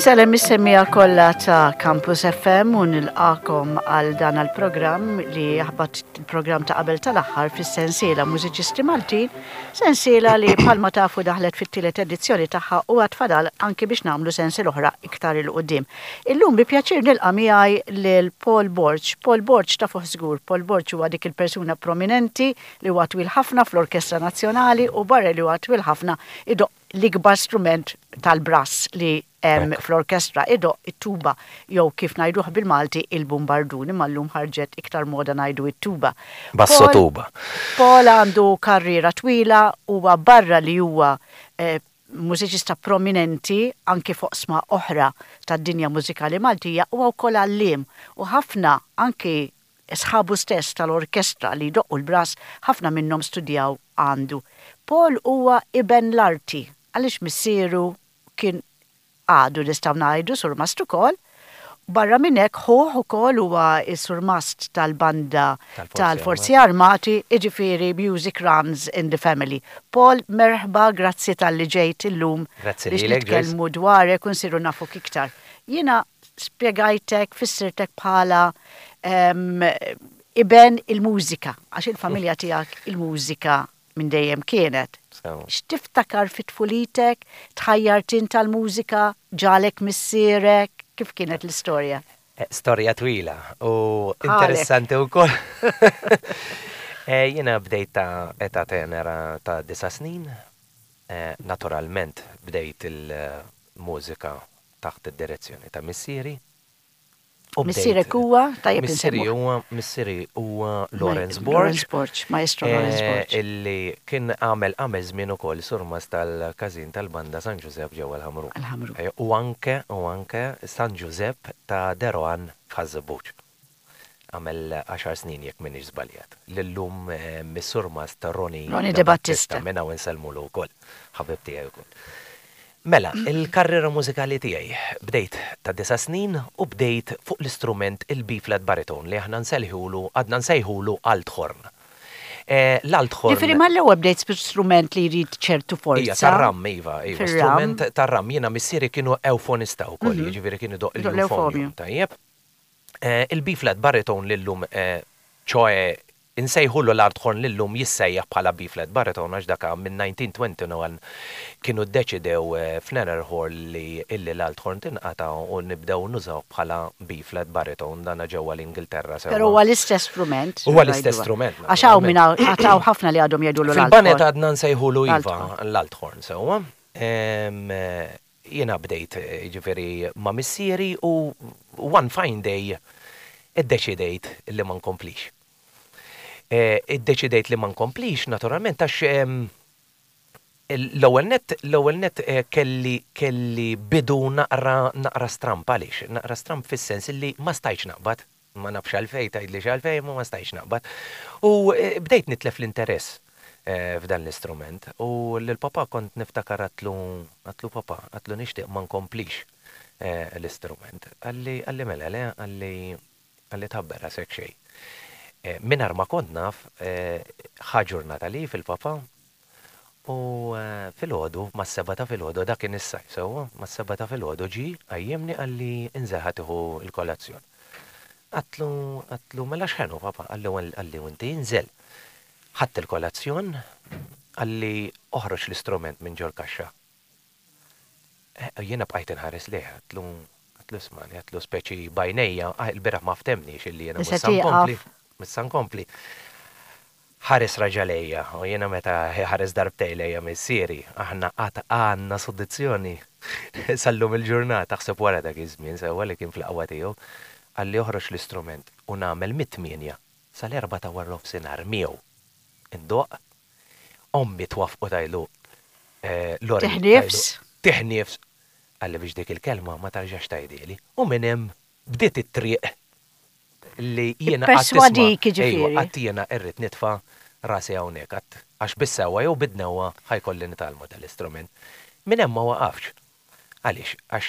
Insellem is-semmiegħa kollha ta' Campus FM u nilqakom għal dan għal-programm li jaħbat il-programm ta' qabel tal-aħħar fis-sensiela Mużiċisti Maltin, sensiela li bħalma tafu daħlet fit-tielet edizzjoni tagħha u għad fadal anki biex nagħmlu sensiela oħra iktar 'il quddiem. Illum bi pjaċir nilqa' miegħi lil Paul Borg. Paul Borg tafuh żgur, Paul Borg huwa dik il-persuna prominenti li huwa twil ħafna fl-Orkestra Nazzjonali u barra li huwa twil ħafna idoqq l-ikbar strument tal-brass li hemm fl-orkestra idoqq it-tuba jew kif ngħiduh bil-Malti il-bumbardun imma llum ħarġet iktar moda ngħidu it-tuba. Basso tuba. Paul għandu karriera twila huwa barra li huwa mużiċista prominenti anki f'oqsma oħra tad-dinja mużikali Maltija huwa wkoll għalliem u ħafna anki Sħabu stess tal-orkestra li jdoqqu l-brass ħafna minnhom studjaw għandu. Paul huwa iben l-arti għaliex missieru kien għadu nistgħu ngħidu surmast ukoll. Barra minn hekk ħuh ukoll huwa s-surmast tal-banda tal-Forzi Armati, jiġifieri music runs in the family. Paul, merħba, grazzi talli ġejt illum biex nitkellmu dwarek u nsiru nafuk iktar. Jiena spjegajtek, fissirtek bħala iben il-mużika, għax il-familja tiegħek il-mużika minn dejjem kienet. X'tiftakar fi tfulitek? Tħajjart int għall-mużika? Ġagħlek missierek? Kif kienet l-istorja? Storja twila u interessanti wkoll. Jiena bdejt ta' età tenera ta' disa' snin. Naturalment bdejt il-mużika taħt id-direzzjoni ta' missieri. U Missierek huwa, tajjeb Missieri huwa, missieri huwa Lawrence Borg. Lawrence Borg, maestro Lawrence eh, Borg. Illi kien għamel għamel żmien ukoll surmas tal-każin tal-banda San Ġużepp ġewwa l-Ħamrun. Il-Ħamrun. Eh, u anke u anke San Ġużepp ta' Deroan f'Ħaż-Żebbuġ. Għamel għaxar snin jekk m'iniex żbaljat. Li llum mis-Surmast Ronnie Ronnie De Battista. Minn hawn insellmulu wkoll, ħabib tiegħi wkoll. Mela, il-karriera mużikali tiegħi bdejt ta' disa' snin u bdejt fuq l-istrument il-B-flat baritone li aħna nsellħulu, għadna nsejħulu althorn. L-althorn. Ġifieri mal-ewwel bdejt strument li jrid ċertu forza. Ija, tar-ram, iva, iva. Strument tar-ram. Jiena missieri kienu ewfonista wkoll, jiġifieri kien idoqq l-ewfonju. Tajjeb. Il-B-flat baritone li llum, ċoe insejħulu l-Ardhorn li llum jissejjaħ bħala B-flat baritone għax dak minn 1921 kienu ddeċidew f'Nererhorn li illi l-Althorn tinqata' u nibdew nużawh bħala B-flat baritone, dana ġewwa l-Ingilterra sewwa. Però huwa l-istess strument. Huwa l-istess strument, naturalment. Għax hawn min għad hawn ħafna li għadhom jgħidulu l-Althorn. Fil-baned għadna nsejħulu iva l-Althorn sewwa. Jiena bdejt jiġifieri ma' missieri u one fine day iddeċidejt li ma nkomplix. Iddeċidejt li ma nkomplix naturalment għax l-ewwel nett l-ewwel nett kelli kelli bidu naqra naqra stramb. Għaliex? Naqra stramb fis-sens li ma stajtx naqbad. Ma nafx għalfejn, tgħidlix għalfejn, imma ma stajtx naqbad. U bdejt nitlef l-interess f'dan l-istrument. U lil papà kont niftakar għadtlu, għadtlu papà, għadtlu nixtieq ma nkomplix l-istrument. Qalli, qalli mela le, qalli, qalli tħabbar rasek xejn. Mingħajr ma kont naf, ħa ġurnata leave il-papà U filgħodu, mas-sebgħa ta' filgħodu, dak kien is-sajf sewwa, mas-sebgħa ta' filgħodu ġie, qajjimni qalli inżel ħa tieħu l-kolazzjon. Għadtlu, għadtlu, mela x'ħenu papà? Qalli, qalli u inti inżel. Ħadt il-kolazzjon, qalli oħroġ l-istrument minn ġol-kaxxa. Jiena bqajt inħares lejh, għedtlu, għedtlu ismagħni, għedtlu speċi b'għajnejja, il-bieraħ ma ftehmniex illi jiena mhux sa nkompli, mhux sa nkompli. Ħares raġa' lejja, u jiena meta ħares darbtejn lejja missieri, aħna qatt għandna soddizzjoni sal-lum il-ġurnata, aħseb wara dak iż-żmien sewwa li kien fl-aqwa tiegħu, qalli oħroġ l-istrument u nagħmel mit-tmienja sal-erbgħa ta' waranofsinhar miegħu ndoqq Ommi twaffqu tgħidlu, Lori. Tieħ nifs. Tieħ nifs. Qalli biex dik il-kelma ma tarġax tgħidhieli. U minn hemm bdiet it-triq li jiena qatt isma'. Ipperswadik jiġifieri. Ejwa, qatt jiena rrid nitfa' rasi hawnhekk, qatt għax bis-sewwa jew bid-dnewwa ħa jkolli nitgħallmu dal-istrument. Minn hemm ma waqafx. Għaliex? Għax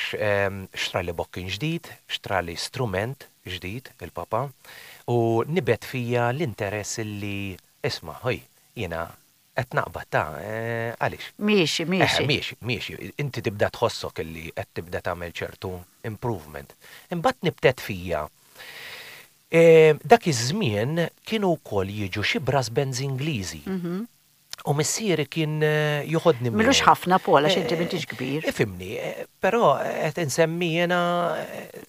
xtrali bokkin ġdid, xtrali strument ġdid il-papa u nibet fija l-interess li Isma', ħuj, jiena Qed naqbad ta' għaliex? Miexi, miexi. Eħe, miexi, miexi. Inti tibda tħossok illi qed tibda tagħmel ċertu improvement. Imbagħad nibtet fija. Dak iż-żmien kienu wkoll jiġu xi brass bands Ingliżi. U missieri kien joħodni miegħu. M'ilux ħafna Paul għax inti m'intix kbir. Ifhimni, però qed insemmi jiena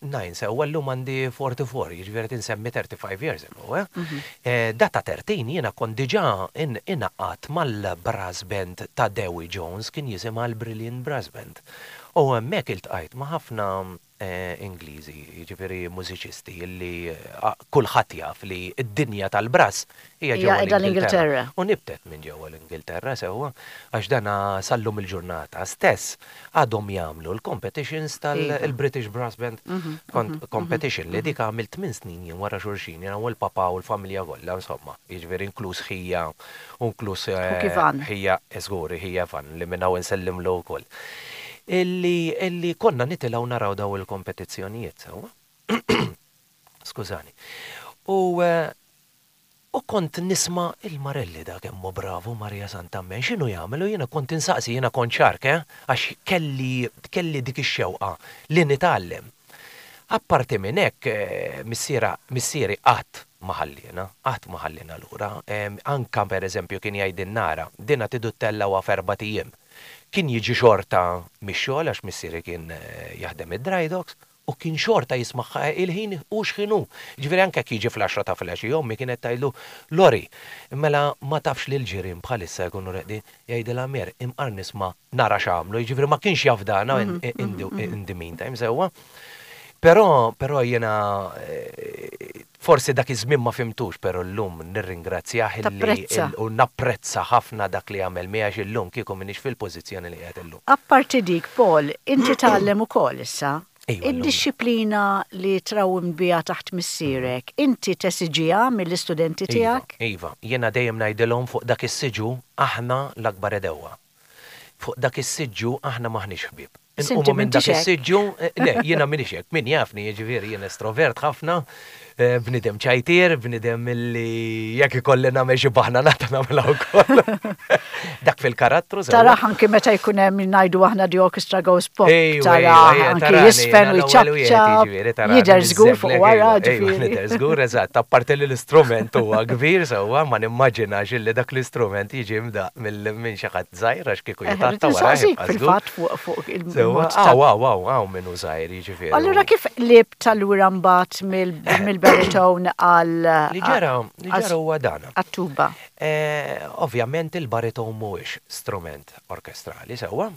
nine sewwa llum għandi 44, jiġifieri qed insemmi 35 years ago, eh. Data 13 jiena kont diġà ingħaqadt mal-brass band ta' Dewi Jones kien jisimha l-Brilliant Brass Band. U hemmhekk iltqajt ma' ħafna Ingliżi, jiġifieri mużiċisti li kulħadd jaf li d-dinja tal-brass hija ġewwa l-Ingilterra. U nibtet minn ġewwa l-Ingilterra sewwa, għax dana sal-lum il-ġurnata stess għadhom jagħmlu l-competitions tal-British Brass Band Competition li dik għamilt tmien snin jien wara xulxin, jiena u l-papà u l-familja kollha insomma, jiġifieri inkluż ħija u inkluż ħija, żgur, ħija Evan li minn hawn insellimlu wkoll. Illi illi konna nitilgħu naraw daw il-kompetizzjonijiet sewwa. Skużani. U u kont nisma' il-Marelli da kemm hu bravu Maria Santa Ammen x'inhu jagħmel u jiena kont insaqsi jiena kont xark eh għax kelli kelli dik ix-xewqa li nitgħallem. Apparti minn hekk missiera missieri qatt ma ħalliena, qatt ma ħalliena lura. Anke pereżempju kien jgħidilna ara, dina tridu ttellgħuha f'erbat ijiem. Kien jiġi xorta mix-xogħol għax missieri kien jaħdem id-dry docks u kien xorta jismagħha il-ħin hu x'ħin hu. Jiġifieri anke jekk jiġi fl-għaxra ta' filgħaxija ommi kienet tgħidlu, Lori, mela ma tafx li l-ġirien bħalissa jkunu reqdin? Jgħidilha Mer, imqar nisma' nara x'għamlu, jiġifieri ma kienx jafdana in the meantime sewwa. Però, però jiena forsi dak iż-żmien ma fhimtux, però llum nirringrazzjah illi u napprezza ħafna dak li għamel miegħi għax illum kieku m'iniex fil-pożizzjoni li qiegħed illum. Apparti dik, Paul, inti tgħallem ukoll issa. Id-dixxiplina li trawwimt biha taħt missierek, inti tesiġiha mill-istudenti tiegħek? Iva, iva. Jiena dejjem ngħidilhom fuq dak is-siġu aħna l-akbar għedewwa. Fuq dak is-siġġu aħna m'aħniex ħbieb. Inqumu minn dak is-siġġu, le, jiena m'iniex hekk. Min jafni, jiġifieri jien estrovert ħafna, bniedem ċajtier, bniedem li jekk ikolli nagħmel xi baħnanata nagħmilha wkoll. Dak fil-karattru. Tarah anki meta jkun hemm ngħidu aħna the orchestra goes pop. Tarah anki jisfen u jċapċap. Jidher żgur fuq wara, ġifieri. Jidher żgur, eżatt. Apparti li l-istrument huwa kbir sewwa, ma nimmaġinax illi dak l-istrument jiġi mdaqq minn xi ħadd żgħir għax kieku jitgħatta wara. Fil-fatt fuq fuq il-mod. Aw, aw, aw, aw min hu żgħir jiġifieri. Allura kif qlibt allura mbagħad mill-baritone għal. Li ġara, li ġara huwa dan. Għat-tuba. Ovvjament il-baritone mhuwiex strument orkestrali sewwa.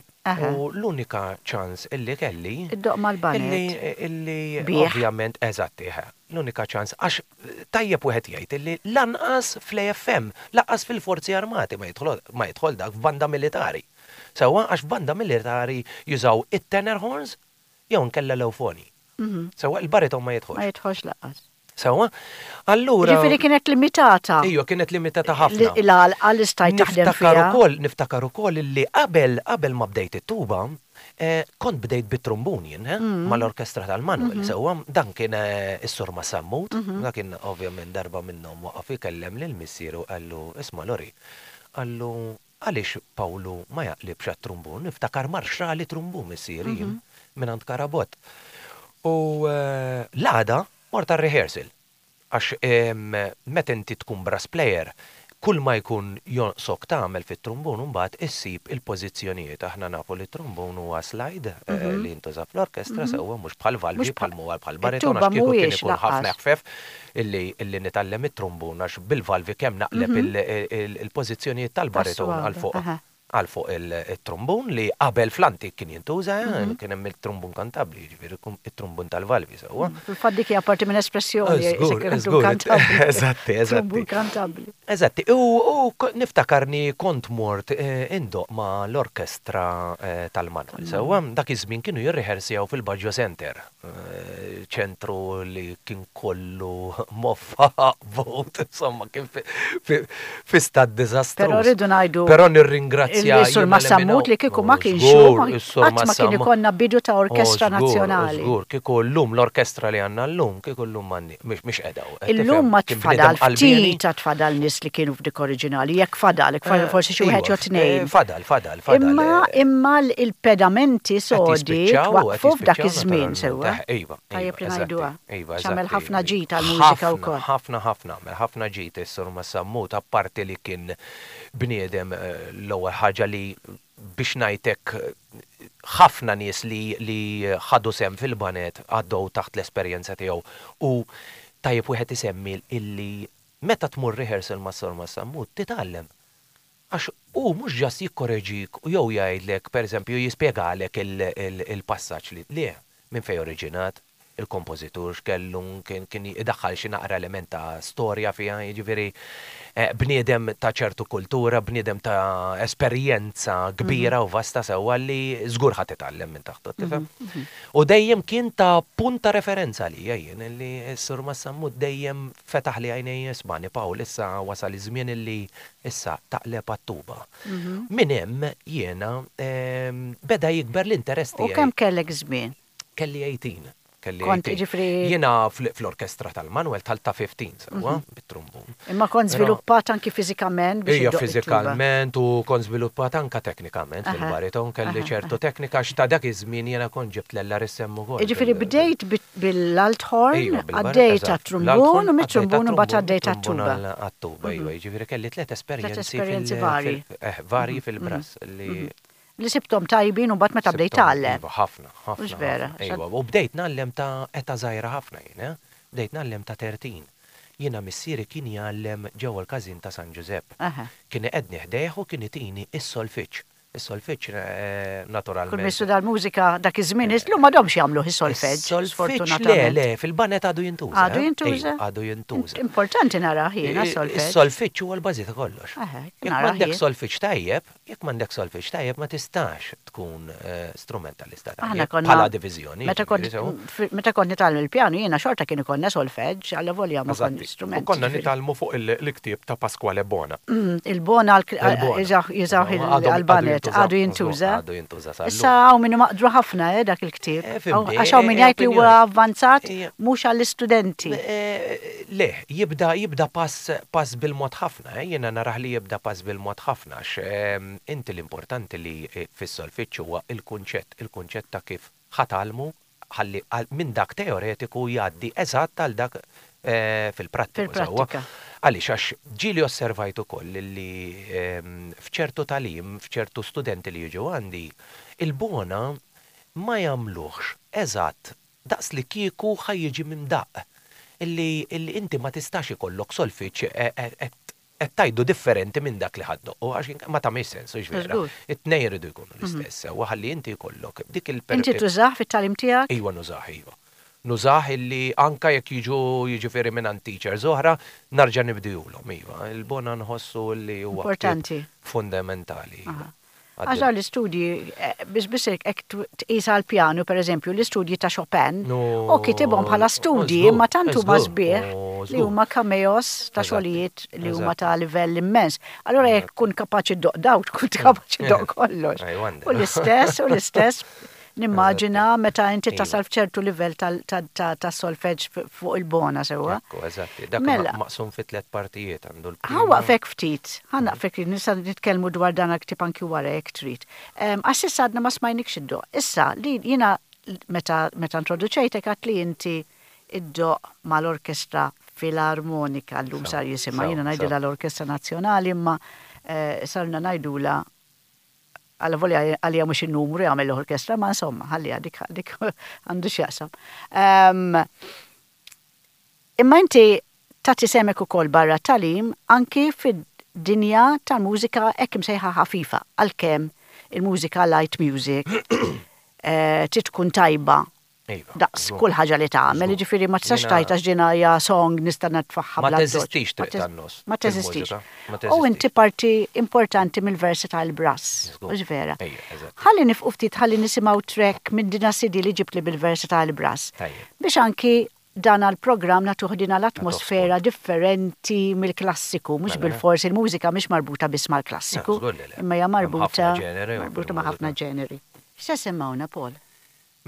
U l-unika ċans illi kelli. Iddoqq mal-baned. Illi ovvjament eżatt, l-unika ċans għax Tajjeb wieħed jgħid illi lanqas fl-AFM, lanqas fil-Forzi Armati ma jidħol ma jidħol dak f'banda militari. Sewwa għax f'banda militari jużaw it-tenor horns jew inkella l-ewfoni. Sewwa il-bariton ma jidħolx. Ma jidħolx lanqas. Sewwa? Allura. Jiġifieri kienet limitata. Ejwa kienet limitata ħafna. L-għalqa li stajt taħdem fiha. Niftakar ukoll, niftakar ukoll illi qabel qabel ma bdejt it-tuba, Kont bdejt bit-trumbun jien, mal-orkestra tal-Manuel, sewwa, dan kien is-Sur Massammut, dak kien ovvjament darba minnhom waqaf ikellem lil missieru qallu, isma' Lori, qallu, għaliex Pawlu ma jaqlibx għat-trumbun, niftakar mar xtrali trumbun missieri jien mingħand Karabott. U l-għada mort għar-rehearsal. Għax meta inti tkun brass player, kull ma jkun jonqsok tagħmel fit-trumbun imbagħad issib il-pożizzjonijiet. Aħna nafu li t-trumbun huwa slide li jintuża fl-orkestra sewwa mhux bħal valvi bħal m'huwa bħal bariton għax kieku kien ikun ħafna eħfef illi nitgħallem it-trumbun għax bil-valvi kemm naqleb il-pożizzjonijiet tal-bariton għal fuq għal fuq it-trumbun li qabel fl-antik kien jintuża, kien hemm it-trumbun kantabbli, jiġifieri it-trumbun tal-valvi sewwa. Fil-fatt dik hija parti minn espressjoni. Żgur, żgur. Eżatti, eżatti. Trumbun kantabbli. Eżatti, u niftakarni kont mort indoqq ma' l-orkestra tal-Manuel sewwa, dak iż-żmien kienu jirriħersjaw fil-Baggio Center. ċentru li kien kollu moffa, vot, insomma, kien fi stat diżastruż. Però rridu ngħidu. Però nirringrazzjahom. nirringrazzja. Is-Sur Massammut li kieku ma kienx hu, qatt ma kien ikollna bidu ta' orkestra nazzjonali. Żgur, kieku llum l-orkestra li għandna llum, kieku llum m'għandni, mhix qiegħda hawn. Illum ma tfadal ftit għad fadal nies li kienu f'dik oriġinali, jekk fadal, jekk fadal forsi xi wieħed jew tnejn. Fadal, fadal, fadal. Imma imma l-pedamenti sodi twaqqfu f'dak iż-żmien sewwa. Iva. Tajjeb li ngħiduha. Iva, eżatt. Għamel ħafna ġid għall-mużika wkoll. Ħafna, ħafna, għamel ħafna ġid is-Sur Massammut, apparti li kien bniedem l-ewwel ħaġa li biex ngħid hekk ħafna nies li li ħadu sehem fil-baned għaddew taħt l-esperjenza tiegħu u tajjeb wieħed isemmi illi meta tmur rehearsal mas-Sur Massammut titgħallem. Għax hu mhux just jikkoreġik jew jgħidlek, pereżempju, jispjegalek il-passaġġ li, le, minn fejn oriġinat, il-kompożitur x'kellu, kien idaħħal xi naqra element ta' storja fiha, jiġifieri bniedem ta' ċertu kultura, bniedem ta' esperjenza kbira u vasta sewwa li żgur ħa titgħallem minn taħtu, tifhem? U dejjem kien ta' punt ta' referenza għalija jien, li s-Sur Massammut dejjem fetaħli għajnejja, ismagħni Pawl, issa wasal iż-żmien illi Issa taqleb għat-tuba. Minn hemm jiena beda jikber l-interess tiegħi. U kemm kellek żmien? Kelli 18. Kelli Kont 18. jiġifieri. Jiena fl-orkestra tal-Manwel dħalt ta' 15 sewwa, bit-trumbun. Imma kont żviluppat anki fiżikament biex Ija iddoqq it-tuba. fiżikalment u kont żviluppat anke teknikament fil-bariton, kelli ċertu teknika għax ta' dak iż-żmien jiena kont ġibt l-LRSM ukoll. Jiġifieri bdejt bil-althorn, Iva, bil-bar, għaddejt eżatt. għat-trumbun L-althorn, u għaddejt mit-trumbun imbagħad għat-trumbun, għaddejt mit-trumbun għat-tuba. għal- għat-tuba, iva, jiġifieri kelli tliet Tliet esperjenzi esperjenzi fil- varji. fil- eh, varji fil-brass li Li sibthom tajbin u mbagħad meta bdejt sibthom, tgħallem. Iva, ħafna, ħafna. Mhux vera, ħafna, Iva, u bdejt ngħallem ta' età żgħira ħafna jien, eh? Bdejt ngħallem ta' 13. Jiena missieri kien jgħallem ġewwa l-każin ta' San Ġużepp. Aha. Kien iqegħdni ħdejh u kien itini s-solfeġġ. Is-solfeġġ naturalment. Kull min studa l-mużika dak iż-żmien, illum m'għadhomx jagħmluh is-solfeġġ, sfortunatament. Le, le, fil-banet għadu jintuża. Għadu jintuża? Għadu jintuża. Importanti narah jiena s-solfeġġ. Is-solfeġġ huwa l-bażi ta' kollox. Jekk m'għandek solfeġġ tajjeb, jekk m'għandek solfeġġ tajjeb ma tistax tkun strumentalista tajjeb. Bħala diviżjoni. Meta kont nitgħallem il-pjanu jiena xorta kien ikollna solfeġġ, allavolja ma kont strument. U konna nitgħallmu fuq il-ktieb ta' Pasquale Bona. Il-Bona jużawh il-Albanet, għadu jintuża. Għadu jintuża sal Issa hawn min maqdru ħafna eh, dak il-ktieb. Eh, Għax hawn min jgħid li huwa avvanzat mhux għall-istudenti. Eh, le, jibda jibda pass pass bil-mod ħafna, eh, jiena narah li jibda pass bil-mod ħafna għax inti l-importanti li fis-solfiċċju huwa il-kunċett, il-kunċett ta' kif ħa tgħallmu ħalli minn dak teoretiku jgħaddi eżatt għal dak fil-prattiku sewwa. Għaliex għax ġieli osservajt ukoll li f'ċertu tagħlim, f'ċertu studenti li jiġu għandi, il-bona ma jagħmluhx eżatt daqs li kieku ħa jiġi minn daqq. Illi inti ma tistax ikollok solfiċ qed Qed tgħidu differenti minn dak li ħa ddoqqu għax ma tagħmilx sens, hux vera? It-tnejn iridu jkunu l-istess sewwa ħalli inti jkollok dik il Inti tużah fit-tagħlim tiegħek? Iva nużah, iva. Nużah illi anke jekk jiġu jiġifieri mingħand teachers oħra, narġa' nibdihulhom, iva. Il-bona nħossu li huwa Importanti. fundamentali, iva. Għax dawn l-istudji, biss biss hekk tqis għall-pjanu, pereżempju, l-istudji ta' Chopin, u kitibhom bħala studji, imma tant huma sbieħ li huma cameos ta' xogħlijiet li huma ta' livell immens. Allura jekk tkun kapaċi ddoqq dawk, tkun kapaċi ddoqq kollox. U l-istess, u l-istess Nimmaġina meta inti tasal f'ċertu livell ta' solfeġġ fuq il-bona sewwa. Ekku, eżatti. Dak mela. maqsum fi tliet partijiet għandu l Ħa waqfek ftit, ħa naqfek ftit, nista' nitkellmu dwar dan il-ktieb anki wara jekk trid. Għax s'issa għadna ma smajnikx iddoqq. Issa, li jiena meta meta introduċejtek għedt li inti iddoqq mal-Orkestra Filarmonika llum sar jisimha, jiena ngħidilha l-Orkestra Nazzjonali imma sarna ngħidulha Allavolja għalija mhux in-numru jagħmel l-orkestra, ma insomma, ħalliha dik dik għandu x'jaqsam. Ehm, imma inti tagħti semek ukoll barra tagħlim anki fid-dinja tal-mużika hekk imsejħa ħafifa, għalkemm il-mużika light music eh, trid tkun tajba Iva, Daqs żgur. kull ħaġa li tagħmel, Żgur. jiġifieri ma tistax Jiena- tgħid għax din hija song nista' nitfagħha Ma bla teżistix triq tan-nofs Ma teżistix. fil-mużika, ma U teżistix. inti parti importanti mill-versatile brass, Żgur. mhux vera? Ejja, eżatt. Ħalli nifqu ftit ħalli nisimgħu track minn din CD li ġibtli bil-versatile brass. Tajjeb. Biex anki dan għall-programm nagħtuh din l-atmosfera differenti mill-klassiku, mhux bilfors il-mużika mhix marbuta biss mal-klassiku, imma hija marbuta marbuta ma' ħafna ġeneri. X'se semmgħuna, Paul?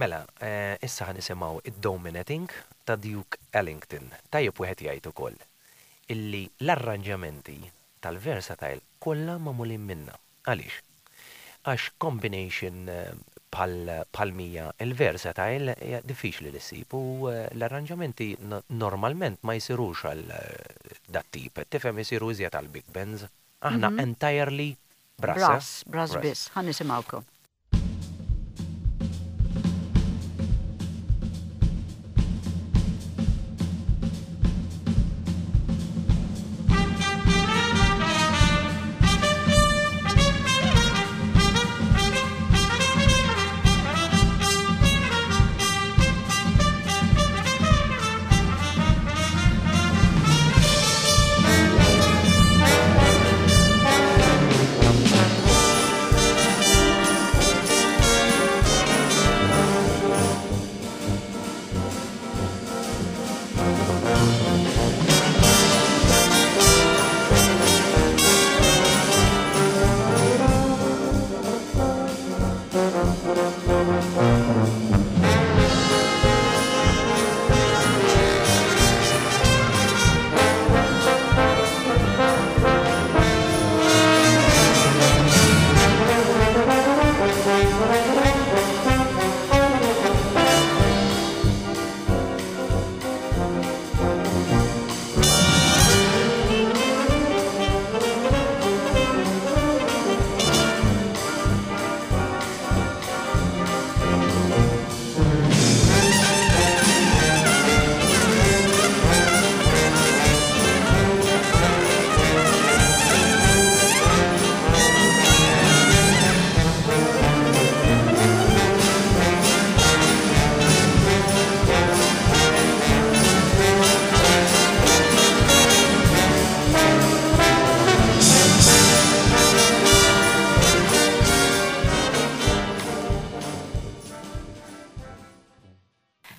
Mela, issa ħa nisimgħu id-Dominating ta' Duke Ellington. Tajjeb wieħed jgħid ukoll illi l-arranġamenti tal-Versatile kollha magħmulin minna. Għaliex? Għax combination bħal bħal m'hija l-versatile hija diffiċli li ssib u l-arranġamenti normalment ma jsirux għal dat-tip, qed tifhem isiru iżjed għal big bands. Aħna entirely brass, eh? Brass, brass biss. Ħa nisimgħukom.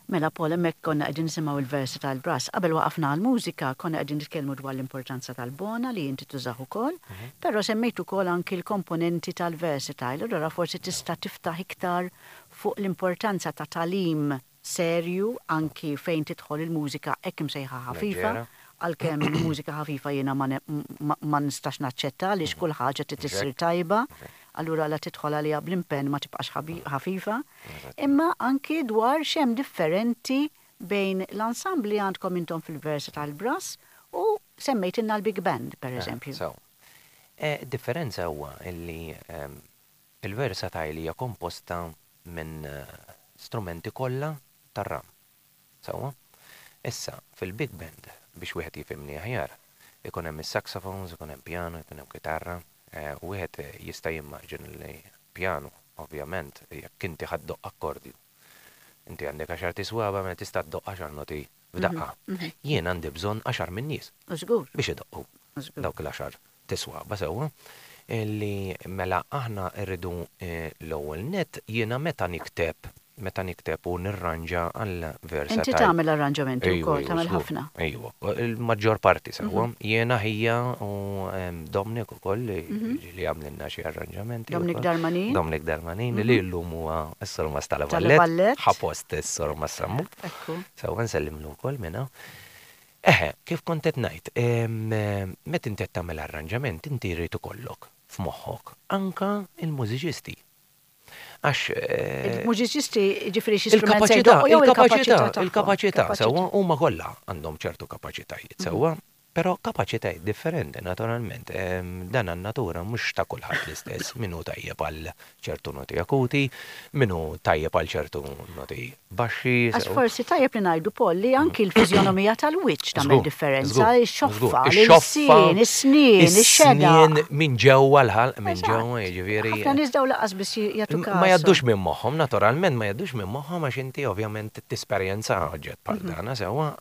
Mela Paul, hemmhekk konna qegħdin nisimgħu il-versi tal-brass. Qabel waqafna għall-mużika konna qegħdin nitkellmu dwar l-importanza tal-bona li inti tużah ukoll, però semmejt ukoll anki l-komponenti tal-versatile. Allura forsi tista' tiftaħ iktar fuq l-importanza ta' tagħlim serju anki fejn tidħol il-mużika hekk imsejħa ħafifa, għalkemm mużika ħafifa jiena ma nistax naċċetta għaliex kull ħaġa trid issir tajba, allura la tidħol għaliha bl-impenn ma tibqax ħafifa. Imma anki dwar x'hemm differenti bejn l-ensemble li għandkom intom fil-Versatile Brass u semmejtilna l-Big Band, per eżempju. Sew. Id-differenza huwa li il-Versatile hija komposta minn strumenti kollha tar-ram. Sewwa? Issa, fil-big band, biex wieħed jifhimni aħjar, ikun hemm is-saxophones, ikun hemm pjanu, ikun hemm kitarra, wieħed jista' jimmaġina li pjanu, ovvjament, jekk inti ħa ddoqq akkordju, inti għandek għaxart iswaba' mela tista' ddoqq għaxar noti f'daqqa. Jien għandi bżonn għaxar min-nies biex idoqqu dawk l-għaxar tiswaba sewwa. Li mela aħna rridu l-ewwel nett jiena meta nikteb meta nikteb u nirranġa għal versatile. Inti tagħmel arranġamenti wkoll, tagħmel ħafna. Ejwa, il-maġġor parti sewwa. Jiena ħija u Dominic ukoll li ġieli għamlilna xi arranġamenti. Dominic Darmanin. Dominic Darmanin li llum huwa s-surmast tal-Vallett. Ħa post is-surmast Sammut. Ekku. Sewwa nsellimlu wkoll minn hawn. Eħe, kif kont qed ngħid, meta inti qed tagħmel arranġament inti jrid ikollok f'moħħok anke l-mużiċisti. Għax. Il-mużiċisti jiġifieri xi strument se jdoqqu jew il-kapaċità tagħhom? Il-kapaċità, sewwa, huma kollha għandhom ċertu kapaċitajiet, sewwa, Però kapaċitajiet differenti naturalment. Dan għan-natura mhux ta' kulħadd l-istess, min hu tajjeb għal ċertu noti akuti, min hu tajjeb għal ċertu noti baxxi. Għax forsi tajjeb li ngħidu Paul li anki l-fiżjonomija tal-wiċċ tagħmel differenza, ix-xoffa, l-ilsien, is-snien, ix-xedaq. Is-snien minn ġewwa l-ħalq, minn ġewwa jiġifieri. Ħafna nies dawn lanqas biss jagħtu każ. Ma jgħaddux minn moħħhom, naturalment ma jgħaddux minn moħħhom għax inti ovvjament tesperjenza oġġett bħal dan, sewwa.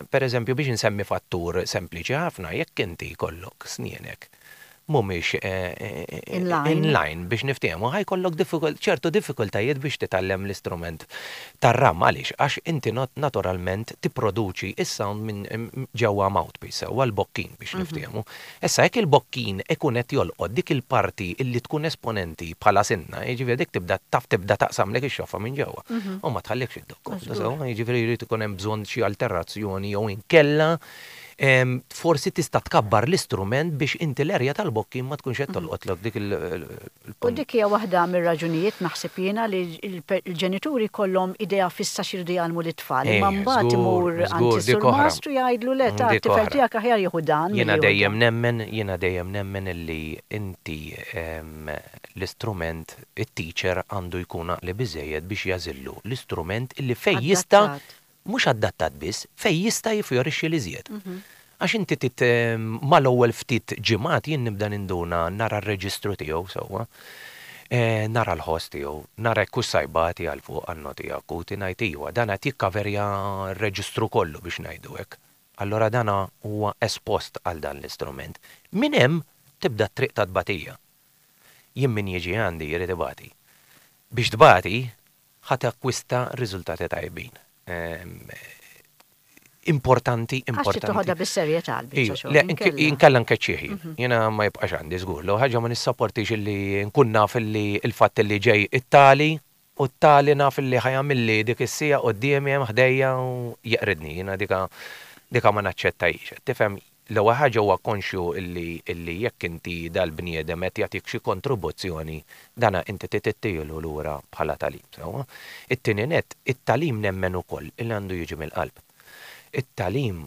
Per eżempju, biex insemmi fattur sempliċi ħafna, jekk inti jkollok snienek. mhumiex In line. in line biex niftehmu, ħa jkollok ċertu diffikultajiet biex titgħallem l-istrument tar-ram. Għaliex? Għax inti naturalment tipproduċi s-sound minn ġewwa mouthpiece, sewwa l-bokkin biex niftehmu. Issa jekk il-bokkin ikun qed jolqot dik il-parti illi tkun esponenti bħala sinna, jiġifieri dik tibda taf tibda taqsamlek ix-xoffa minn ġewwa u ma tħallikx iddoqq komdu, sewwa? Jiġifieri jrid ikun hemm bżonn xi alterazzjoni jew inkella Forsi tista' tkabbar l-istrument biex inti l-erja tal-bokkin ma tkunx qed tolqotlok dik il. U dik hija waħda mir-raġunijiet naħseb jiena li l-ġenituri jkollhom idea fissa x'iridu jgħallmu lit-tfal, imma mbagħad imur għand is-surmast u jgħidlu le ta' t-tifel tiegħek aħjar jieħu dan milli jieħu dan. Jiena dejjem nemmen, jiena dejjem nemmen illi inti l-istrument, it-teacher għandu jkun għaqli biżżejjed biex jagħżillu l-istrument illi fejn jista' Mhux adattat biss, fejn jista' jiffjorixxi l-iżjed. Għax inti trid mal-ewwel ftit ġimgħat jien nibda ninduna nara r-reġistru tiegħu sewwa, nara l-ħoss tiegħu, nara jekk hux sa jbati għal fuq għan-noti akuti, ngħid iva, dan qed jikkaverja r-reġistru kollu biex ngħidu hekk. Allura dan huwa espost għal dan l-istrument. Minn hemm tibda t-triq tat-tbatija. Jien min jiġi għandi jrid ibati. Biex tbati, ħa takkwista riżultati tajbin. Importanti, importanti. Għax trid toħodha bis-serjetà l-biċċa xogħol. Le, inkella nkeċċih jien. Jiena ma jibqax għandi żgur. L-ewwel ħaġa ma nissaportix illi nkun naf illi l-fatt illi ġej it-tali u t-tali naf illi ħa jagħmilli dik is-siegħa quddiemi hemm ħdejja u jeqridni. Jiena dika dika ma naċċettajiex. Tifhem? L-ewwel ħaġa huwa konxju illi illi jekk inti dal-bniedem qed jagħtik xi kontribuzzjoni, dana inti trid ittihielu lura bħala tagħlim, sewwa? It-tieni nett, it-tagħlim nemmen ukoll illi għandu jiġi mill-qalb. It-tagħlim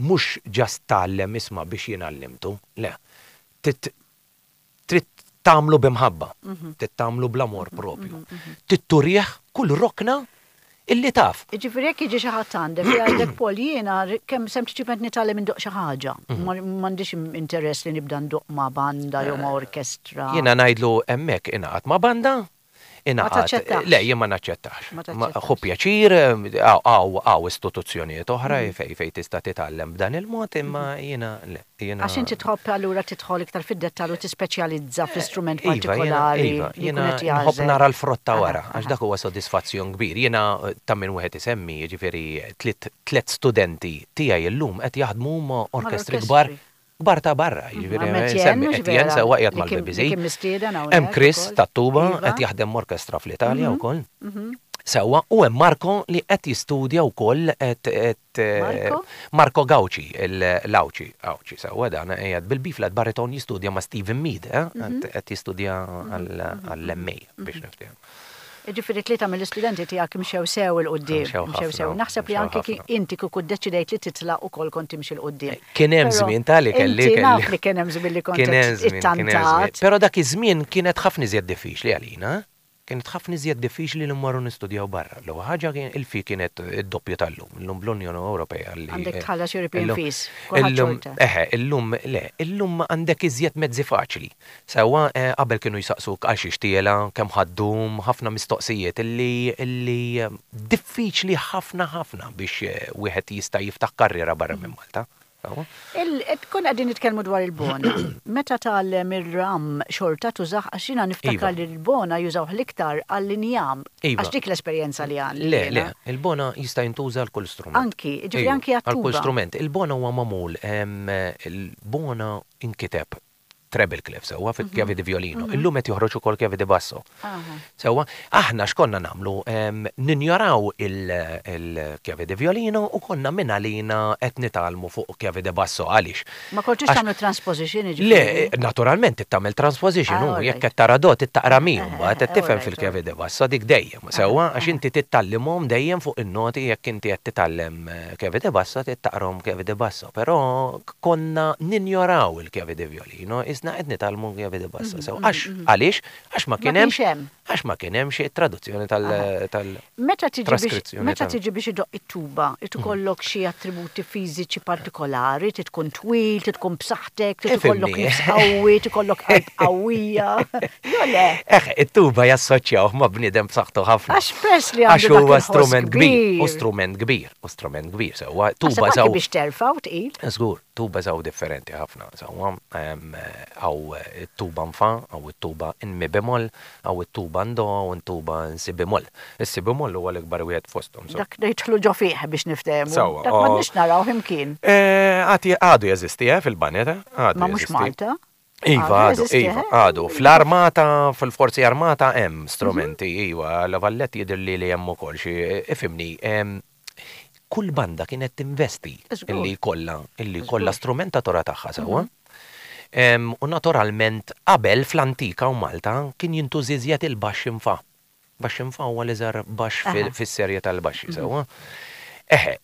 mhux just tgħallem isma' biex jien għallimtu, le. Trid Trid tagħmlu bi mħabba, trid tagħmlu bl-amor propju. Trid turih kull rokna illi taf. Jiġifieri jekk jiġi xi ħadd għandek u jgħidlek Paul jiena kemm sempliċiment nitgħallem indoqq xi ħaġa, m'għandix interess li nibda ndoqq ma' banda jew ma' orkestra. Jiena ngħidlu hemmhekk ingħaqad ma' banda, Ma taċċettax? Le, jien ma naċċettax. Ħu pjaċir, hawn istituzzjonijiet oħra fejn tista' titgħallem b'dan il-mod, imma jiena le. Għax inti tħobb allura tidħol iktar fid-dettall u tispeċjalizza fl-istrument partikolari. Iva, jiena nħobb nara l-frott ta' wara, għax dak huwa sodisfazzjon kbir. Jiena ta' min wieħed isemmi, jiġifieri tliet studenti tiegħi llum qed jaħdmu ma' orkestri kbar Kbar ta' barra, jiġifieri nsemmi Etienne sewwa qiegħed mal-BBC. Hemm Chris tat-tuba qed jaħdem m'orkestra fl-Italja wkoll. Sewwa, u hemm Marco li qed jistudja wkoll qed Marco Gauci, l-Għawdxi, Għawdxi sewwa dan qiegħed bil-B-flat baritone jistudja ma' Stephen Mead, qed jistudja għall-MA biex niftehmu. Jiġifieri tlieta mill-istudenti tiegħek imxew sew 'il quddiem. Imxew sew. Naħseb li anki inti kieku ddeċidejt li titlaq ukoll kont timxi 'l quddiem. Kien hemm żmien ta' li kelli. Inti naf li kien hemm żmien li kont ittantat. Però dak iż-żmien kienet ħafna iżjed diffiċli għalina. Kienet ħafna iżjed diffiċli li mmorru nistudjaw barra. L-ewwel ħaġa kien il-fee kienet id-doppju tal-lum. Illum bl-Unjoni Ewropea li. Għandek tħallas European fees. Kulħadd xorta. Eħe, illum le, illum għandek iżjed mezzi faċli. Sewwa, qabel kienu jsaqsuk għal xiex tiela', kemm ħa ddum, ħafna mistoqsijiet illi illi diffiċli ħafna ħafna biex wieħed jista' jiftaħ karriera barra minn Malta. Sewwa? Il, konna qegħdin nitkellmu dwar il-bona. Meta tgħallem ir-ram xorta tużah għax jiena niftakar li l-bona jużawh l-iktar għall-injam. Iva. Għax dik l-esperjenza li għandi Le, le, jiena. il-bona jista' jintuża għal kull strument. Anki, jiġifieri anki Iva, għal kull għat-tuba. strument. Il-bona huwa magħmul, il-bona inkiteb treble clef sewwa fil-kjavi di violino. Illum qed joħroġ ukoll kjavi di basso. Sewwa, aħna x'konna nagħmlu? Ninjoraw il-kjavi di violino u konna minn għalina qed nitgħallmu fuq kjavi di basso. Għaliex? Ma kontux tagħmlu transposition jiġifieri? Le, naturalment trid tagħmel transposition u jekk qed tara do trid taqra mi mbagħad qed tifhem fil-kjavi di basso dik dejjem. Sewwa, għax inti trid tgħallimhom dejjem fuq in-noti jekk inti qed titgħallem kjavi di basso trid taqrahom kjavi di basso. Però konna ninjoraw il-chiave di violino, qisna qed nitgħallmu chiave di basso sew. Għax, għaliex? Għax ma kien hemmx, għax ma kien hemmx it-traduzzjoni tal, tal, Meta tiġi biex, traskrizzjoni meta tal. tiġi biex idoqq it-tuba, irid ikollok xi attributi fiżiċi partikolari, trid tkun twil, trid tkun b'saħħtek, trid ikollok Ifhimni. nifs qawwi, trid ikollok qalb qawwija. Jew le? Eħe, it-tuba jassoċjawh ma' bniedem b'saħħtu ħafna. Għax peress li għandu Għax dak huwa il-ħoss strument kbir, kbir. u strument kbir. U strument kbir sewwa. Naħseb Tuba anki żgħu. biex terfgħu tqil. Żgur, tuba żgħu differenti ħafna sewwa. Hawn it-tuba in fa, hawn it-tuba in mi bemol, hawn it-tuba in do, hawn it-tuba in si bemol. Is-si bemol huwa l-ikbar wieħed fosthom. Dak jidħlu ġo fih biex niftehmu. Sewwa. Dak m'għadniex narawh imkien. Għad għadu jeżisti, eh, fil-baned, eh? Għadu Ma mhux Malta. Iva, għadu, iva, għadu. Fl-armata, fil-forzi armata hemm strumenti, iva, La Vallette jidhirli li hemm ukoll xi, ifhimni, kull banda kienet tinvesti illi jkollha illi jkollha strumentatura tagħha sewwa. U naturalment qabel fl-antika u Malta kien jintuża iżjed il-baxx in fa. Baxx in fa huwa l-iżgħar baxx fis-serje tal-baxxi sewwa. Eħe,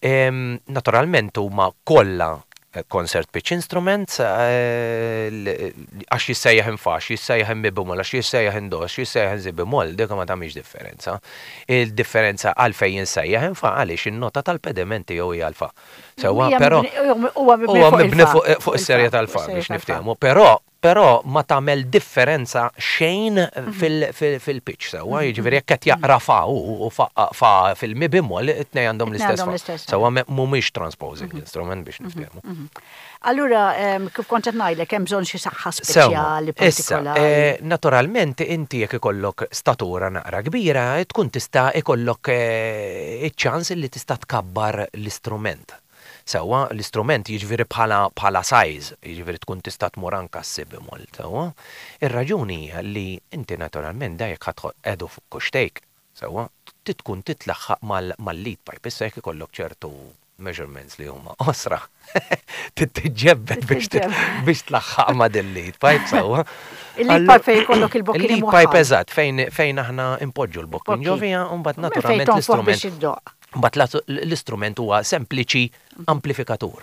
naturalment huma kollha concert pitch instruments għax jissejjaħ in fa, għax jissejjaħ in mi bemol, għax jissejjaħ in do, għax jissejjaħ in si bemol, dik ma tagħmilx differenza. Il-differenza għalfejn jissejjaħ in fa għaliex in-nota tal-pediment tiegħu hija l-fa. Sewwa, però huwa mibni fuq is-serje tal-fa biex niftehmu, però Però ma tagħmel differenza xejn fil-pitch sewwa, jiġifieri jekk qed jaqra fa hu u fa fil-mi bemol, it-tnejn għandhom l-istess fa. Sewwa mhumiex transposing instrument biex niftehmu. Allura kif kont qed ngħidlek hemm bżonn xi saħħa speċjali partikolari. Issa, naturalment inti jekk ikollok statura naqra kbira tkun tista' ikollok iċ-ċans li tista' tkabbar l-istrument. Sewwa, l-istrument jiġifieri bħala bħala size, jiġifieri tkun tista' tmur anke għas-si bemol, sewwa. Ir-raġuni hija li inti naturalment da jekk ħa tqegħdu fuq kuxtejk, sewwa, trid tkun titlaħħaq mal mal-lead pipe. Issa jekk ikollok ċertu measurements li huma qosra, trid tiġġebbed biex biex tlaħħaq ma' dil-lead pipe, sewwa. Il-lead pipe fejn ikollok il-bokkin Il-lead pipe eżatt, fejn fejn aħna npoġġu l-bokkin ġo fiha u mbagħad naturalment l-istrument. Mbagħad l-istrument huwa sempliċi amplifikatur.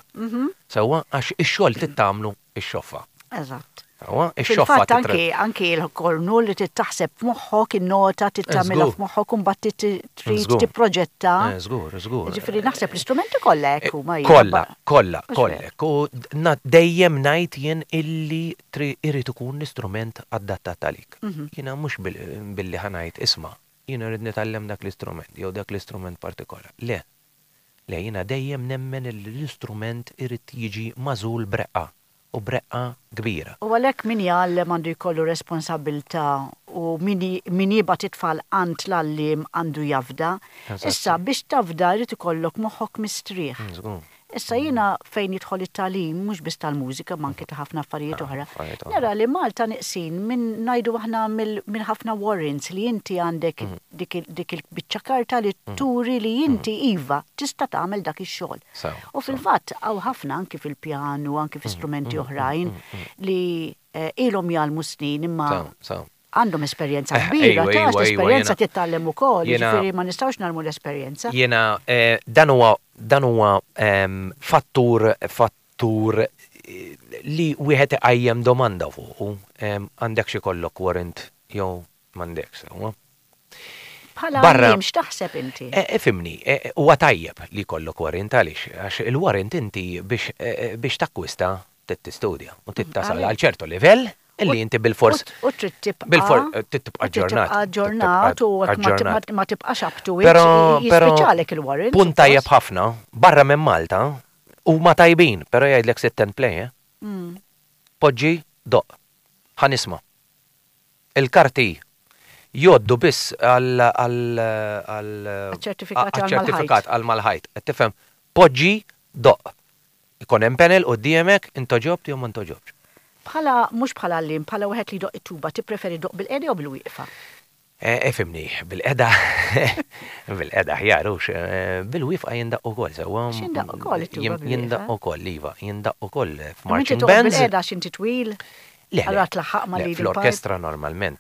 Sewwa, għax ix-xogħol trid tagħmlu x-xoffa. Eżatt. Sewwa, ix-xoffa. Fil-fatt anki anki l-kornu li trid taħseb f'moħħok in-nota trid tagħmilha f'moħħok u mbagħad trid tipproġetta. Żgur, żgur. Ġifieri naħseb l-istrumenti kollha hekk huma. Kollha, kollha, kollha hekk. U dejjem ngħid jien illi irid ikun l-istrument adattat għalik. Jiena mhux billi ħa ngħid isma' Jiena rrid nitgħallem dak l-istrument jew dak l-istrument partikolari. Le. Le, jiena dejjem nemmen illi l-istrument irid jiġi magħżul b'reqqa, u b'reqqa kbira. U għalhekk min jgħallem għandu jkollu responsabbiltà u min min jibgħat it-tfal għand l-għalliem għandu jafda. Issa biex tafda jrid ikollok moħħok mistrieħ. Żgur. Issa jiena fejn jidħol it-tagħlim, mhux biss tal-mużika imma anki ta' ħafna affarijiet oħra, nara li Malta neqsin minn ngħidu aħna minn ħafna warrants li inti għandek dik il-biċċa karta li turi li inti iva tista' tagħmel dak ix-xogħol. U fil-fatt hawn ħafna anki fil-pjanu, anki fi strumenti oħrajn li ilhom jgħallmu snin imma għandhom esperjenza kbira, ta' l-esperjenza titgħallem ukoll, jiġifieri ma nistgħux narmu l-esperjenza. Jiena dan huwa dan huwa fattur fattur li wieħed iqajjem domanda fuqu, għandekx ikollok warrant jew m'għandekx, sewwa. Bħala għalliem x'taħseb inti? Ifhimni, huwa tajjeb li jkollok warrant għaliex? Għax il-warrant inti biex biex takkwista trid tistudja u trid tasal għal ċertu livell illi inti bilfors. U trid tibqa'. Bilfors trid tibqa' aġġornat. Aġġornat u ma tibqax up to it. Jispiċċalek il-warrant. Punt tajjeb ħafna, barra minn Malta huma tajbin, però jgħidlek sit and play, eh. Poġġi, doqq. Ħa nisma'. Il-karti jgħoddu biss għal Għaċ-ċertifikat għal mal-ħajt. Qed tifhem? Poġġi, doqq. Ikun hemm panel quddiemek, intgħoġobt jew ma ntgħoġobtx. Bħala, mhux bħala għalliem, bħala wieħed li jdoqq it-tuba, tippreferi ddoqq bil-qiegħda jew bil-wieqfa? Ifhimni, bil-qiegħda, bil-qiegħda aħjar hux, bil-wieqfa jindaqq ukoll sewwa. Għax jindaqq ukoll it-tuba bil-wieqfa. Jindaqq ukoll, iva, jindaqq ukoll f'marching bands. Imma inti toqgħod bil-qiegħda għax inti twil? Le, le. Allura tlaħħaq mal-leading part? Fl-orkestra normalment,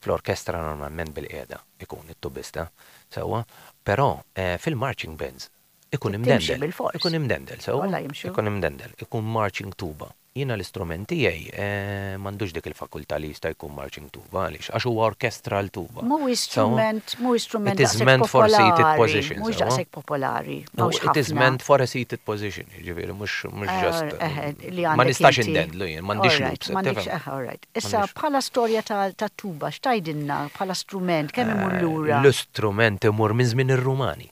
fl-orkestra normalment bil-qiegħda ikun it-tubista, sewwa, però fil-marching bands Ikun imdendel. Ikun imdendel, sewwa? Ikun imdendel. Ikun marching tuba. Jiena l-istrument tiegħi m'għandux dik il-fakultà li jista' jkun marching tuba. Għaliex? Għax huwa orchestral tuba. Mhuwiex strument, mhuwiex strument daqshekk popolari. Mhuwiex daqshekk popolari. It is meant for a seated position, jiġifieri mhux just. Ma nistax indendlu jien, m'għandix loops. M'għandix, all right. Issa bħala storja tat-tuba, x'tgħidilna bħala strument, kemm imur lura? L-istrument imur minn żmien ir-Rumani.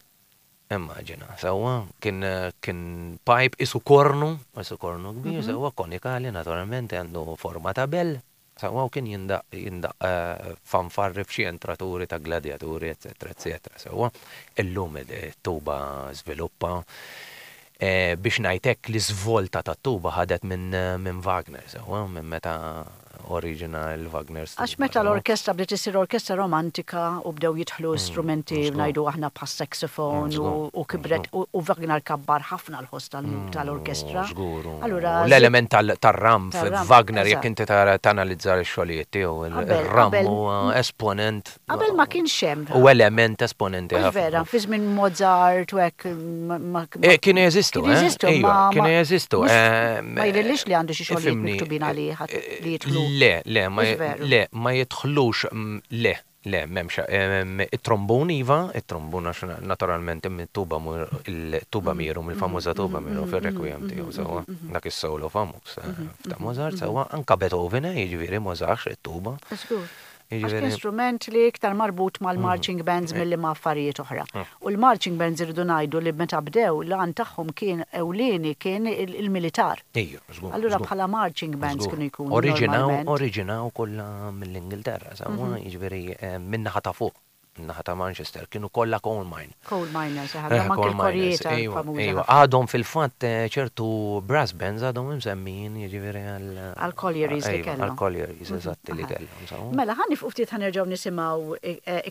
Immaġina, sewwa, kien kien pipe qisu kornu, qisu kornu kbir, sewwa, konikali naturalment, għandu forma ta' bell, sewwa, u kien jindaqq jindaqq fanfarri f'xi entraturi ta' gladjaturi, etsetera, etsetera, sewwa. Illum it-tuba żviluppa, biex ngħid hekk l-iżvolta tat-tuba ħadet minn minn Wagner, sewwa, minn meta oriġina l-Wagner Għax meta l-orkestra bdiet issir orkestra romantika u bdew jidħlu strumenti ngħidu aħna bħas-saxophone u kibret u Wagner kabbar ħafna l-ħoss tal-orkestra. Żgur. Allura l-element tar-ram f'Wagner jekk inti tanalizza x-xogħlijiet tiegħu, ir-ram huwa esponent. Qabel ma kienx hemm. U element esponenti ħafna. Vera, fi żmien Mozart u hekk. Eh, kienu jeżistu, eh? Jeżistu, ma. Kienu jeżistu. Eh, ma jidhirlix li għandu xi xogħlijiet miktubin għalih li jidħlu. Le, le, ma le, ma jidħlux, mm, le, le, m'hemmx. It-trombun iva, it-trombun għax naturalment tuba il-tuba mm. miru, mill-famuża tuba miru mm, fir-requiem mm, tiegħu sewwa, dak is-solo famuż eh, ta' Mozart sewwa, anka Beethoven, jiġifieri Mozart it-tuba. Għax kien strument li iktar marbut mal-marching bands milli ma' affarijiet oħra. U l-marching bands irridu ngħidu li meta bdew l-għan tagħhom kien ewlieni kien il-militar. Ejja, żgur. Allura bħala marching bands kienu jkunu Oriġinaw, oriġinaw kollha mill-Ingilterra, sewwa, jiġifieri min-naħa ta' fuq. Naħa ta' Manchester, kienu kollha coal mine. Coal miners, għandhom anke l-korijiet famużi. Iva, għadhom fil-fatt ċertu brass bands għadhom imsemmijin jiġifieri għal. Għal collieries li kellhom. Għal collieries, eżatti li kellhom. Mela, ħa nifqu ftit ħa nerġgħu nisimgħu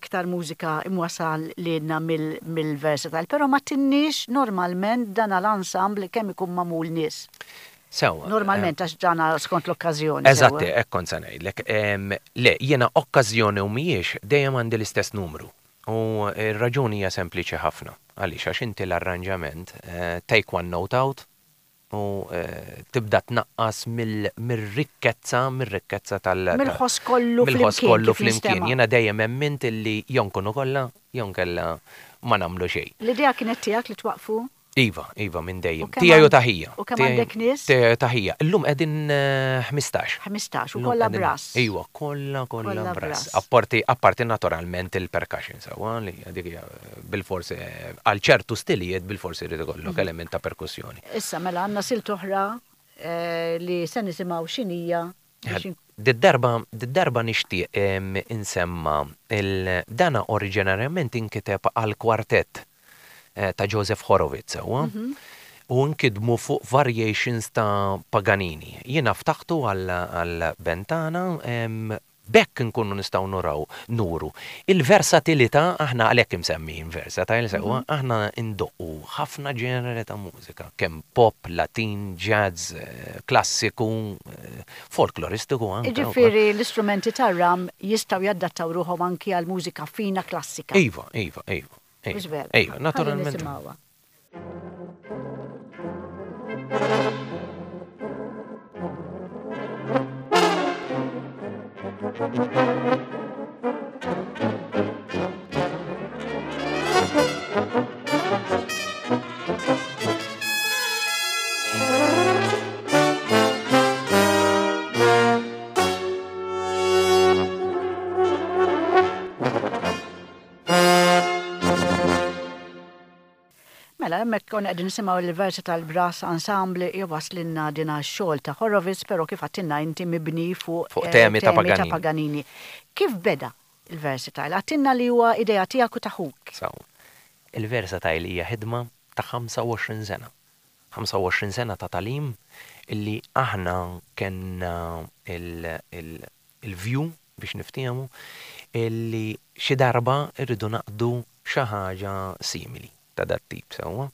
iktar mużika imwassal lilna mill-Versatile, però ma tinniex normalment dan l-ensemble kemm ikun magħmul nies. Sewwa. Normalment għax dan skont l-okkażjoni. Eżatt, hekk kont se ngħidlek. Le, jiena okkażjoni u mhijiex, dejjem għandi l-istess numru. U r-raġuni hija sempliċi ħafna. Għaliex? Għax inti l-arranġament, take one note out u tibda tnaqqas mir-rikkezza, mir-rikkezza tal-. Mill-ħoss kollu flimkien. Mill-ħoss kollu flimkien. Jiena dejjem emmint illi jew nkunu kollha, jew inkella ma nagħmlu xejn. L-idea kienet tiegħek li twaqqfu? Iva, iva, minn dejjem. Tiegħi u ta' ħija. U kemm għandek nies? Tiegħi u ta' ħija. Illum qegħdin 15. 15, u kollha brass. Iva, kollha, kollha brass. Apparti, apparti naturalment il-percussion sewwa li dik hija bilfors għal ċertu stilijiet bilfors irid ikollok element ta' perkussjoni. Issa mela għandna silt oħra li se nisimgħu x'inhija Did-darba, did-darba nixtieq insemma il dana oriġinarjament inkiteb għal kwartett ta' Joseph Horowitz sewwa, u nkidmu fuq variations ta' Paganini. Jiena ftaħtu għal band tagħna B'hekk inkunu nistgħu nuraw, nuru, il-versatilità, aħna għalhekk imsemmijin versatile sewwa, aħna ndoqqu ħafna ġeneri ta' mużika, kemm pop, Latin, jazz, klassiku, folkloristiku anke. Jiġifieri l-istrumenti tar-ram jistgħu jadattaw ruħhom anki għal mużika fina klassika. Iva, iva, iva. Mhux vera? Iva, naturalment. Ħalli nisimgħuha. Mela, hemmhekk konna qegħdin nisimgħu l-Versatile Brass Ensemble jwasslilna din għax-xogħol ta' Horowitz, però kif għedtilna inti mibni fuq Fuq temi ta' Paganini. Paganini. Kif beda l-Versatile? Għedtilna li huwa idea tiegħek u ta' ħuk. Sewwa. Il-Versatile hija ħidma ta' 25 sena. 25 sena ta' tagħlim illi aħna kellna il-view biex niftiehmu illi xi darba rridu naqdu xi ħaġa simili ta' dat-tip, sewwa.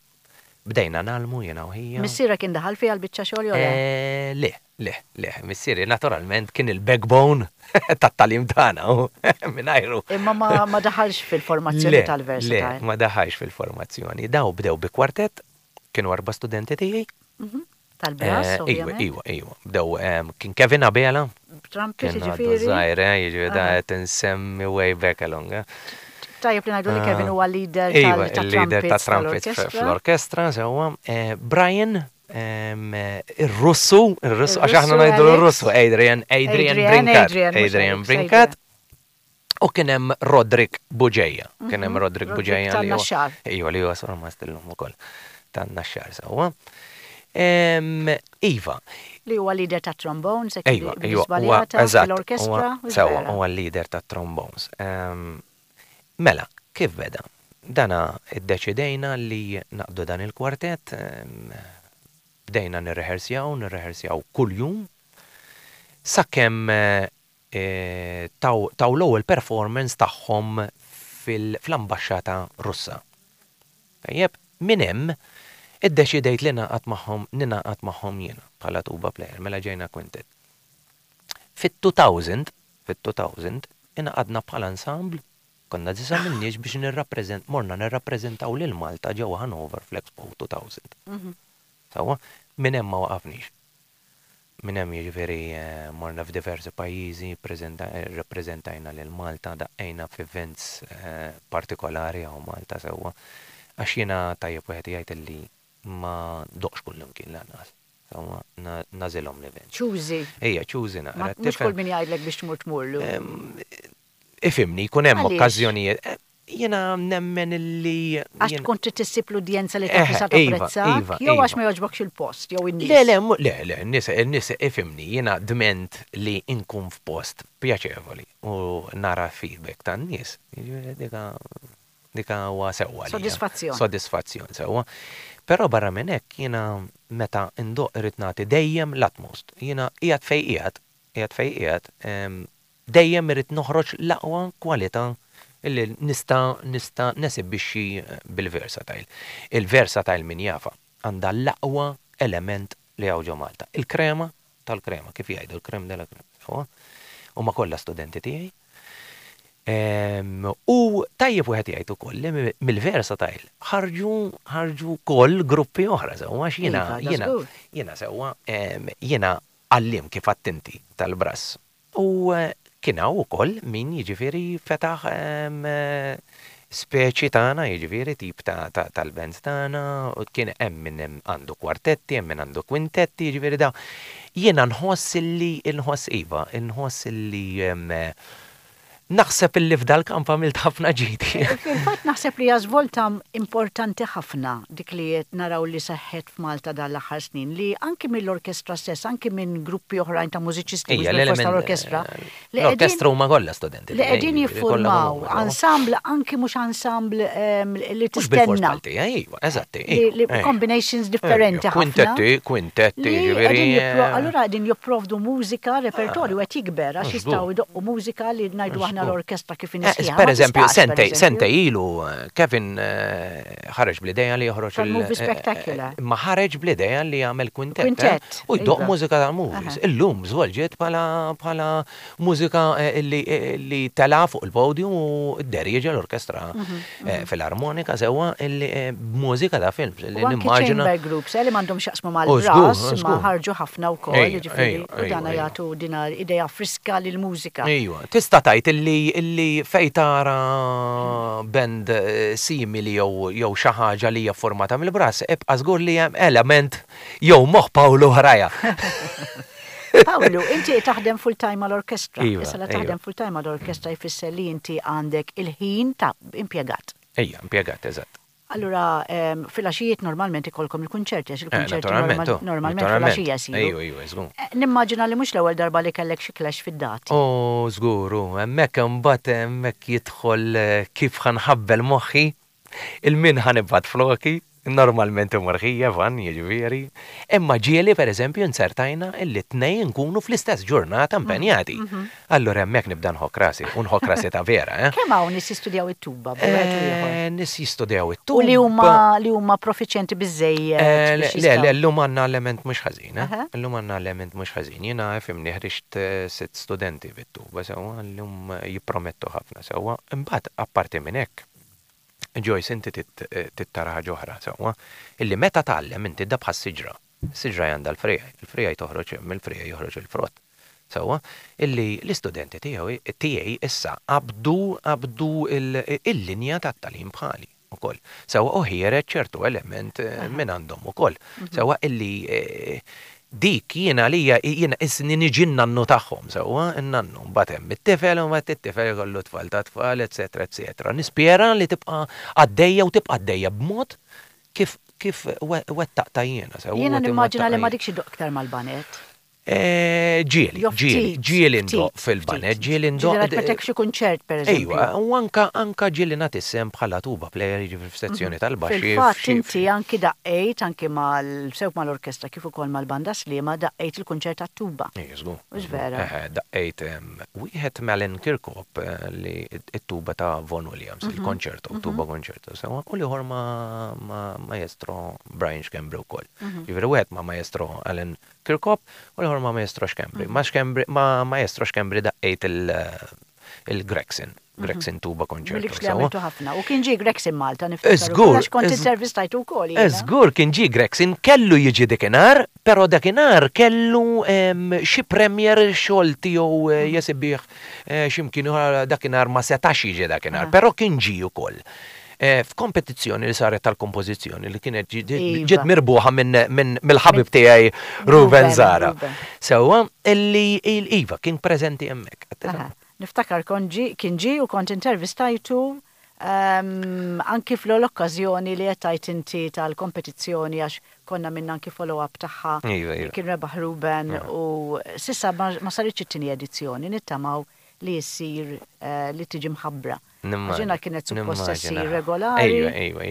Bdejna ngħallmu jiena u ħija. Missierek indaħal fiha l-biċċa xogħol jew le? Le, le, le. Missieri naturalment kien il-backbone tat-tagħlim tagħna u mingħajru. Imma ma daħalx fil-formazzjoni tal-Versatile. Le, ma daħalx fil-formazzjoni. Daw bdew bi kwartett, kienu erba' studenti tiegħi. Tal-brass, ovvjament. Iwa, iwa, iwa. Bdew, kien Kevin Abela. Trumpet, jiġifieri. Kien żgħir, eh, jiġifieri da qed insemmi way back along. Eh. Tajjeb li ngħidu li Kevin huwa leader tal-leader ta' trumpets fl-orkestra, sewwa. Brian, ir-Russu, ir-Russu, għax aħna ngħidu l-Russu, Adrian, Adrian Brincat. Adrian Brincat. U kien hemm Roderick Bugeja. Kien hemm Roderick Roderick Bugeja li huwa- tan-Naxxar. Iva, li huwa surmast illum ukoll tan-Naxxar sewwa. Iva. Li huwa leader ta' trombones, hekk Iva, li iva, huwa żbaljata eżatt, fil-orkestra. huwa- Sewwa, huwa l-leader ta' trombones. Mela, kif beda? Dana iddeċidejna li naqdu dan il-kwartett, bdejna nirrehersjaw, nirrehersjaw kuljum, sakemm taw taw l-ewwel performance tagħhom fl-ambaxxata Russa. Tajjeb, minn hemm iddeċidejt li ningħaqad magħhom ningħaqad magħhom jiena bħala tuba player, mela ġejna quintet. Fit-2000, fit-2000 ingħaqadna bħala ensemble, konna disa' min-nies biex nirrappreżent morna nirrappreżentaw lil Malta ġewwa Hanover fl-Expo 2000. Sewwa, minn hemm ma waqafniex. Minn hemm jiġifieri morna f'diversi pajjiżi, rrappreżentajna lil Malta, daqqejna f'events partikolari hawn Malta sewwa. Għax jiena tajjeb wieħed jgħid illi ma ndoqqx kullimkien lanqas. Sewwa, nagħżilhom l-events. Choosy. Ejja, choosy naqra. Mhux kull min jgħidlek biex tmur tmurlu. Ifhimni, jkun hemm Għaliex? okkażjonijiet. Jiena nemmen illi. Għax tkun trid issib l-udjenza li taf li sa Iva, tapprezzak, iva, jew għax iva. ma jogħġbokx il-post, jew in-nies. Le, le, le, le, n-nies, n-nies ifhimni, jiena dment li nkun f'post pjaċevoli u nara feedback tan-nies. Jiġifieri dika dika huwa sewwa għalija. Sodisfazzjon. Sodisfazzjon sewwa. Però barra minn hekk jiena meta ndoqq irrid nagħti dejjem l-utmost. Jiena qiegħed fejn qiegħed, qiegħed fejn qiegħed, dejjem irrid noħroġ l-aqwa kwalità illi nista' nista' nesibixxi bil-versatile. Il-versatile min jafha għandha l-aqwa element li hawn ġo Malta. Il-krema tal-krema, kif jgħidu, il-crème de la crème. Sewwa? Huma kollha studenti tiegħi. U tajjeb wieħed jgħid ukoll li mill-versatile ħarġu ħarġu wkoll gruppi oħra sewwa għax jiena Iva, da jiena żgur. jiena sewwa jiena għalliem kif għedt inti tal-brass. U kien hawn ukoll min jiġifieri fetaħ speċi tagħna, jiġifieri tip ta' tal-bands tagħna, u kien hemm min hemm għandu kwartetti, hemm min għandu kwintetti, jiġifieri da. Jiena nħoss illi nħoss iva, nħoss illi naħseb illi f'dal-kamp għamilt ħafna ġid. Fil-fatt naħseb li hija żvolta importanti ħafna dik li qed naraw li seħħet f'Malta dan l-aħħar snin, li anki mill-orkestra stess, anki minn gruppi oħrajn ta' mużiċisti, mhux Ija, bil-fors l-element, tal-orkestra, li qegħdin l-orkestra huma kollha studenti li tiegħi, qegħdin jiġifieri kollha jiffurmaw huma, sewwa. ensemble, anki mhux ensemble li Mhux bil-fors tistenna. bħal tiegħi, iva, eżatti, Li iva, li ejja. combinations differenti Ejja, ħafna. Kwintetti, kwintetti, Li jiġifieri, qegħdin allura qegħdin jipprovdu mużika, repertorju qed jikber għax Mhux jistgħu żgur. jdoqqu mużika li ngħidu aħna Żgur. l-orkestra kif inhi sħiħa, Per ma eżempju, tistax, per sentej, eżempju. sentej ilu, Kevin ħareġ bl-idea li joħroġ il- Tal-movie spectacular. Ma ħareġ bl-idea li jagħmel kwintet. Kwintet, U jdoqq iva. mużika tal-movies. Illum żvolġiet bħala bħala mużika li li tela fuq il-podium u dderieġa l-orkestra filarmonika sewwa illi b'mużika ta' films li U anki nimmaġina. chamber groups, li m'għandhom x'jaqsmu U mal-brass, żgur, ma żgur. ħarġu ħafna wkoll, Ejja, jiġifieri, ejja, u dana ejja, ejja. jagħtu dina idea friska lill-mużika. Ejwa, tista' tgħid illi illi fej tara band simili jew jew xi ħaġa li hija formata mill-brass, ibqa' żgur li hemm element jew moħħ Pawlu ħraja. Pawlu, inti taħdem full time mal-orkestra. Iva, Issa la iva. taħdem full time mal-orkestra jfisser li inti għandek il-ħin ta' impjegat. Ejja, impjegat, eżatt. Allura, filgħaxijiet normalment ikolkom il-kunċerti, għax il-kunċerti Naturalment, oh, normalment naturalment. filgħaxija jsiru. Ejju, ejju, żgur. Nimmaġina li mhux l-ewwel darba li kellek xi clash fid-dati. Oh, żgur, u hemmhekk imbagħad hemmhekk jidħol kif ħa nħabbel moħħi, il-min ħa nibgħat floki, normalment imur ħija van, jiġifieri. Imma ġieli pereżempju nsertajna illi tnejn nkunu fl-istess ġurnata impenjati. Allura hemmhekk nibda nħokk rasi, u nħokk rasi ta' vera, eh? Kemm hawn nies jistudjaw it-tuba b'wieħed u ieħor? Nies jistudjaw it-tuba. U li huma li huma profiċjenti biżejjed Le, biex le, jistgħu. llum għandna element mhux ħażin, eh? Aha. Illum għandna element mhux ħażin. Jiena fimni ħriġt sitt studenti bit-tuba sewwa, llum jippromettu ħafna sewwa. Imbagħad apparti minn hekk, Joyce, inti tittara ħaġa oħra sewwa, illi meta tgħallem inti da bħas siġra. Siġra għandha l-friegħi, il-friegħi toħroġ mill-friegħi joħroġ il-frott. Sewwa, illi l-istudenti tiegħi tiegħi issa qabdu qabdu il-linja tat-tagħlim bħali ukoll. Sewwa u ħiereġ ċertu element minn għandhom ukoll. Sewwa illi Dik jien għalija jiena qisni niġi n-nannu tagħhom sewwa, in-nannu. Mbagħad hemm it-tifel u mbagħad it-tifel ikollu tfal ta' tfal, eċċetera, eċċetera. Nispera li tibqa' għaddejja u tibqa' għaddejja b'mod kif kif wettaqtha jiena sewwa. Jiena nimmaġina li m'għadikx iddoqq iktar mal-baned. Ġieli, ġieli, ġieli ndoqq fil-baned, ġieli ndoqq. Ġieli rajt meta xi kunċert pereżempju. Ejwa, u anka anka ġieli nagħti s-sehem bħala tuba player, jiġifieri f'sezzjoni tal-baxxi. Fil-fatt inti anki daqqejt anki mal sew mal-orkestra kif ukoll mal-banda Sliema daqqejt il-kunċert tat-tuba. Ejja, żgur. Hux vera? Eħe, daqqejt wieħed m'Alan Kirkhope li t-tuba ta' Vaughan Williams, il-konċerto, tuba konċerto sewwa, u l-ieħor ma' maestro Brian Schembri wkoll. Jiġifieri wieħed ma' maestro Alan Kirkop u l-ieħor ma' Maestro Schembri. Ma' Schembri, ma' Maestro Schembri daqqejt il-Gregson, Gregson Tuba Concerto. Mill-ikx li għamiltu ħafna. U kien ġie Gregson Malta niftakar. Żgur. Għax kont intervistajtu wkoll. Żgur kien ġie Gregson, kellu jiġi dakinhar, però dakinhar kellu xi premier xogħol tiegħu jesibih xi mkien ieħor dakinhar ma setax jiġi dakinhar, però kien ġie ukoll. F'kompetizzjoni li saret tal-kompożizzjoni li kienet ġiet mirbuħa minn mill-ħabib tiegħi Ruben Zara. Sewwa, illi iva kien preżenti hemmhekk. Niftakar kont ġie, kien ġie u kont intervistajtu anki fl-okkażjoni li qed tgħid inti tal-kompetizzjoni għax konna minna anki follow-up tagħha. Kien rebaħ Ruben u s'issa ma saritx it-tieni edizzjoni, nittamaw li ssir li tiġi mħabbra. Għax jiena kienet suppost se ssir regolari.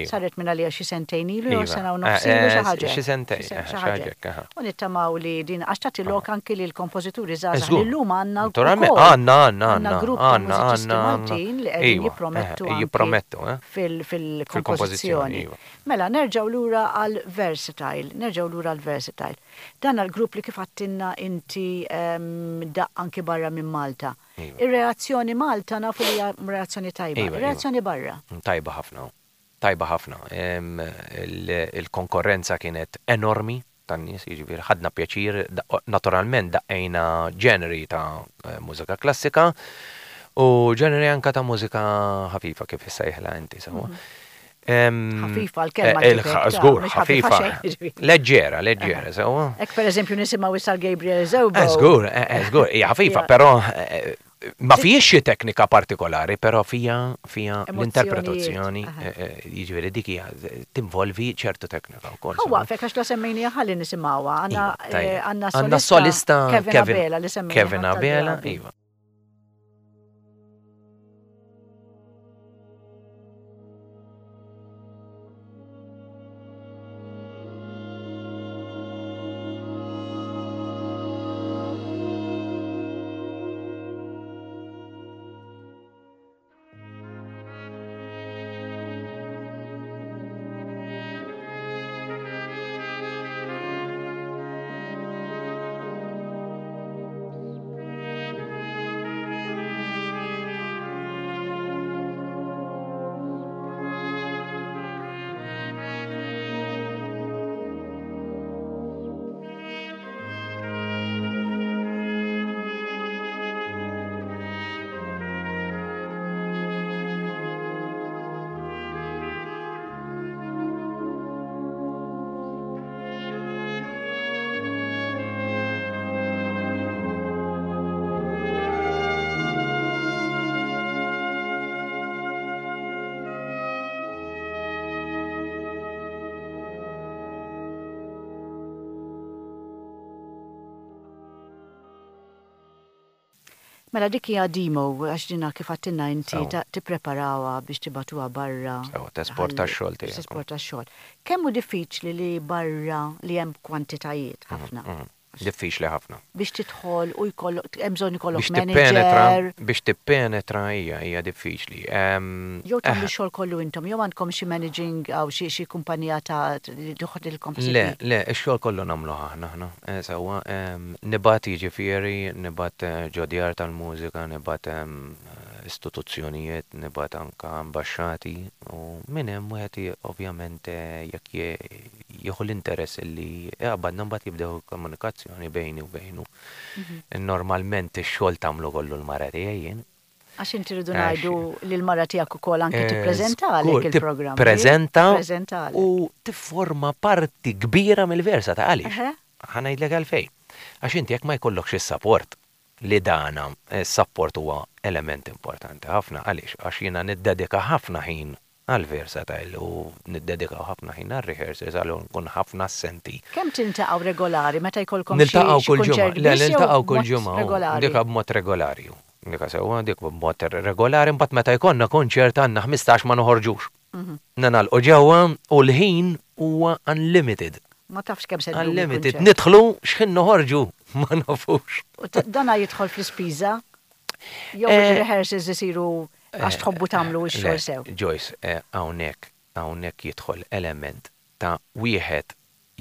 Saret minn għalija xi sentejn ilu jew sena u nofs ilu xi ħaġa. Xi sentejn, xi ħaġa hekk. U nittamaw li din għax tagħti lok anki lil kompożituri żgħażagħ li llum għandna wkoll. Għandna, għandna, għandna grupp ta' mużiċisti Maltin li qegħdin jippromettu jippromettu fil-kompożizzjoni. Mela nerġgħu lura għal Versatile, nerġgħu lura għal Versatile. Dan għall-grupp li kif għedtilna inti daqq anki barra minn Malta. Ir-reazzjoni Malta nafu li hija reazzjoni tajba. Ir-reazzjoni barra? Tajba ħafna. Tajba ħafna. Il-konkorrenza kienet enormi tan-nies, jiġifieri ħadna pjaċir, naturalment daqqejna ġeneri ta' mużika klassika u ġeneri anke ta' mużika ħafifa kif issejħilha inti sewwa. Ħafifa l-kelma. Eh, żgur, ħafifa. Leġġera, leġġera, sewwa. Hekk pereżempju nisimgħu issa Gabriel Zewbo. Eh, żgur, eh, żgur, hija ħafifa, però ma fijiex xi teknika partikolari, però fija fija l-interpretazzjoni, jiġifieri dik hija tinvolvi ċertu teknika wkoll. Hu waqfek għax la semmejnija ħalli nisimgħuha. Għandna iva, solista Kevin Abela li semmejna. Kevin Abela, iva. Mela dik hija demo għax dina kif għattilna inti tippreparawha biex tibagħtuha barra. Sewa, tesporta x-xogħol tiegħek. Tesporta x-xogħol. Kemm hu diffiċli li barra li hemm kwantitajiet ħafna. Diffiċli ħafna. Biex tidħol u jkollok, hemm bżonn ikollok manager. Biex tippenetra hija hija diffiċli. Jew tagħmlu x-xogħol kollu intom, jew għandkom xi managing aw xi kumpanija ta' li toħodilkom ħsieb. Le, le, ix-xogħol kollu nagħmluh aħna aħna. Sewwa, nibgħat jiġifieri, nibgħat ġo djar tal-mużika, nibgħat istituzzjonijiet, nibgħat anke ambaxxati u minn hemm wieħed ovvjament jekk jieħu l-interess li jaqbadna mbagħad jibdew komunikazzjoni bejni u bejnu. Normalment ix-xogħol tagħmlu kollu l-mara tiegħi jien. Għax inti rridu ngħidu li l-mara tiegħek ukoll anke tippreżentalek il-programm. Tippreżenta u tifforma parti kbira mill-versa ta' għaliex. Ħa ngħidlek għalfejn. Għax inti jekk ma jkollokx is-sapport, li dana s-sapport huwa element importanti ħafna, għaliex? Għax jiena niddedika ħafna ħin għall-versatile u niddedikaw ħafna ħin għar-rehearsals allura nkun ħafna assenti. Kemm tiltaqgħu regolari meta jkollkom xi Niltaqgħu kull ġimgħa. kunċert Le, biss jew niltaqgħu kull b'mod ġimgħa, regolari? Dik b'mod regolari. Dik sewwa, dik b'mod regolari, imbagħad meta jkollna kunċert għandna 15 ma noħorġux. Ningħalqu ġewwa u l-ħin huwa unlimited. Ma tafx kemm se ddum Unlimited. il-kunċert. Nidħlu x'ħin noħorġu ma nafux. U dana jidħol fl-ispiża? Jew il-rehearsals isiru għax tħobbu tagħmlu x-xogħol Le, sew? Joyce, hawnhekk hawnhekk jidħol element ta' wieħed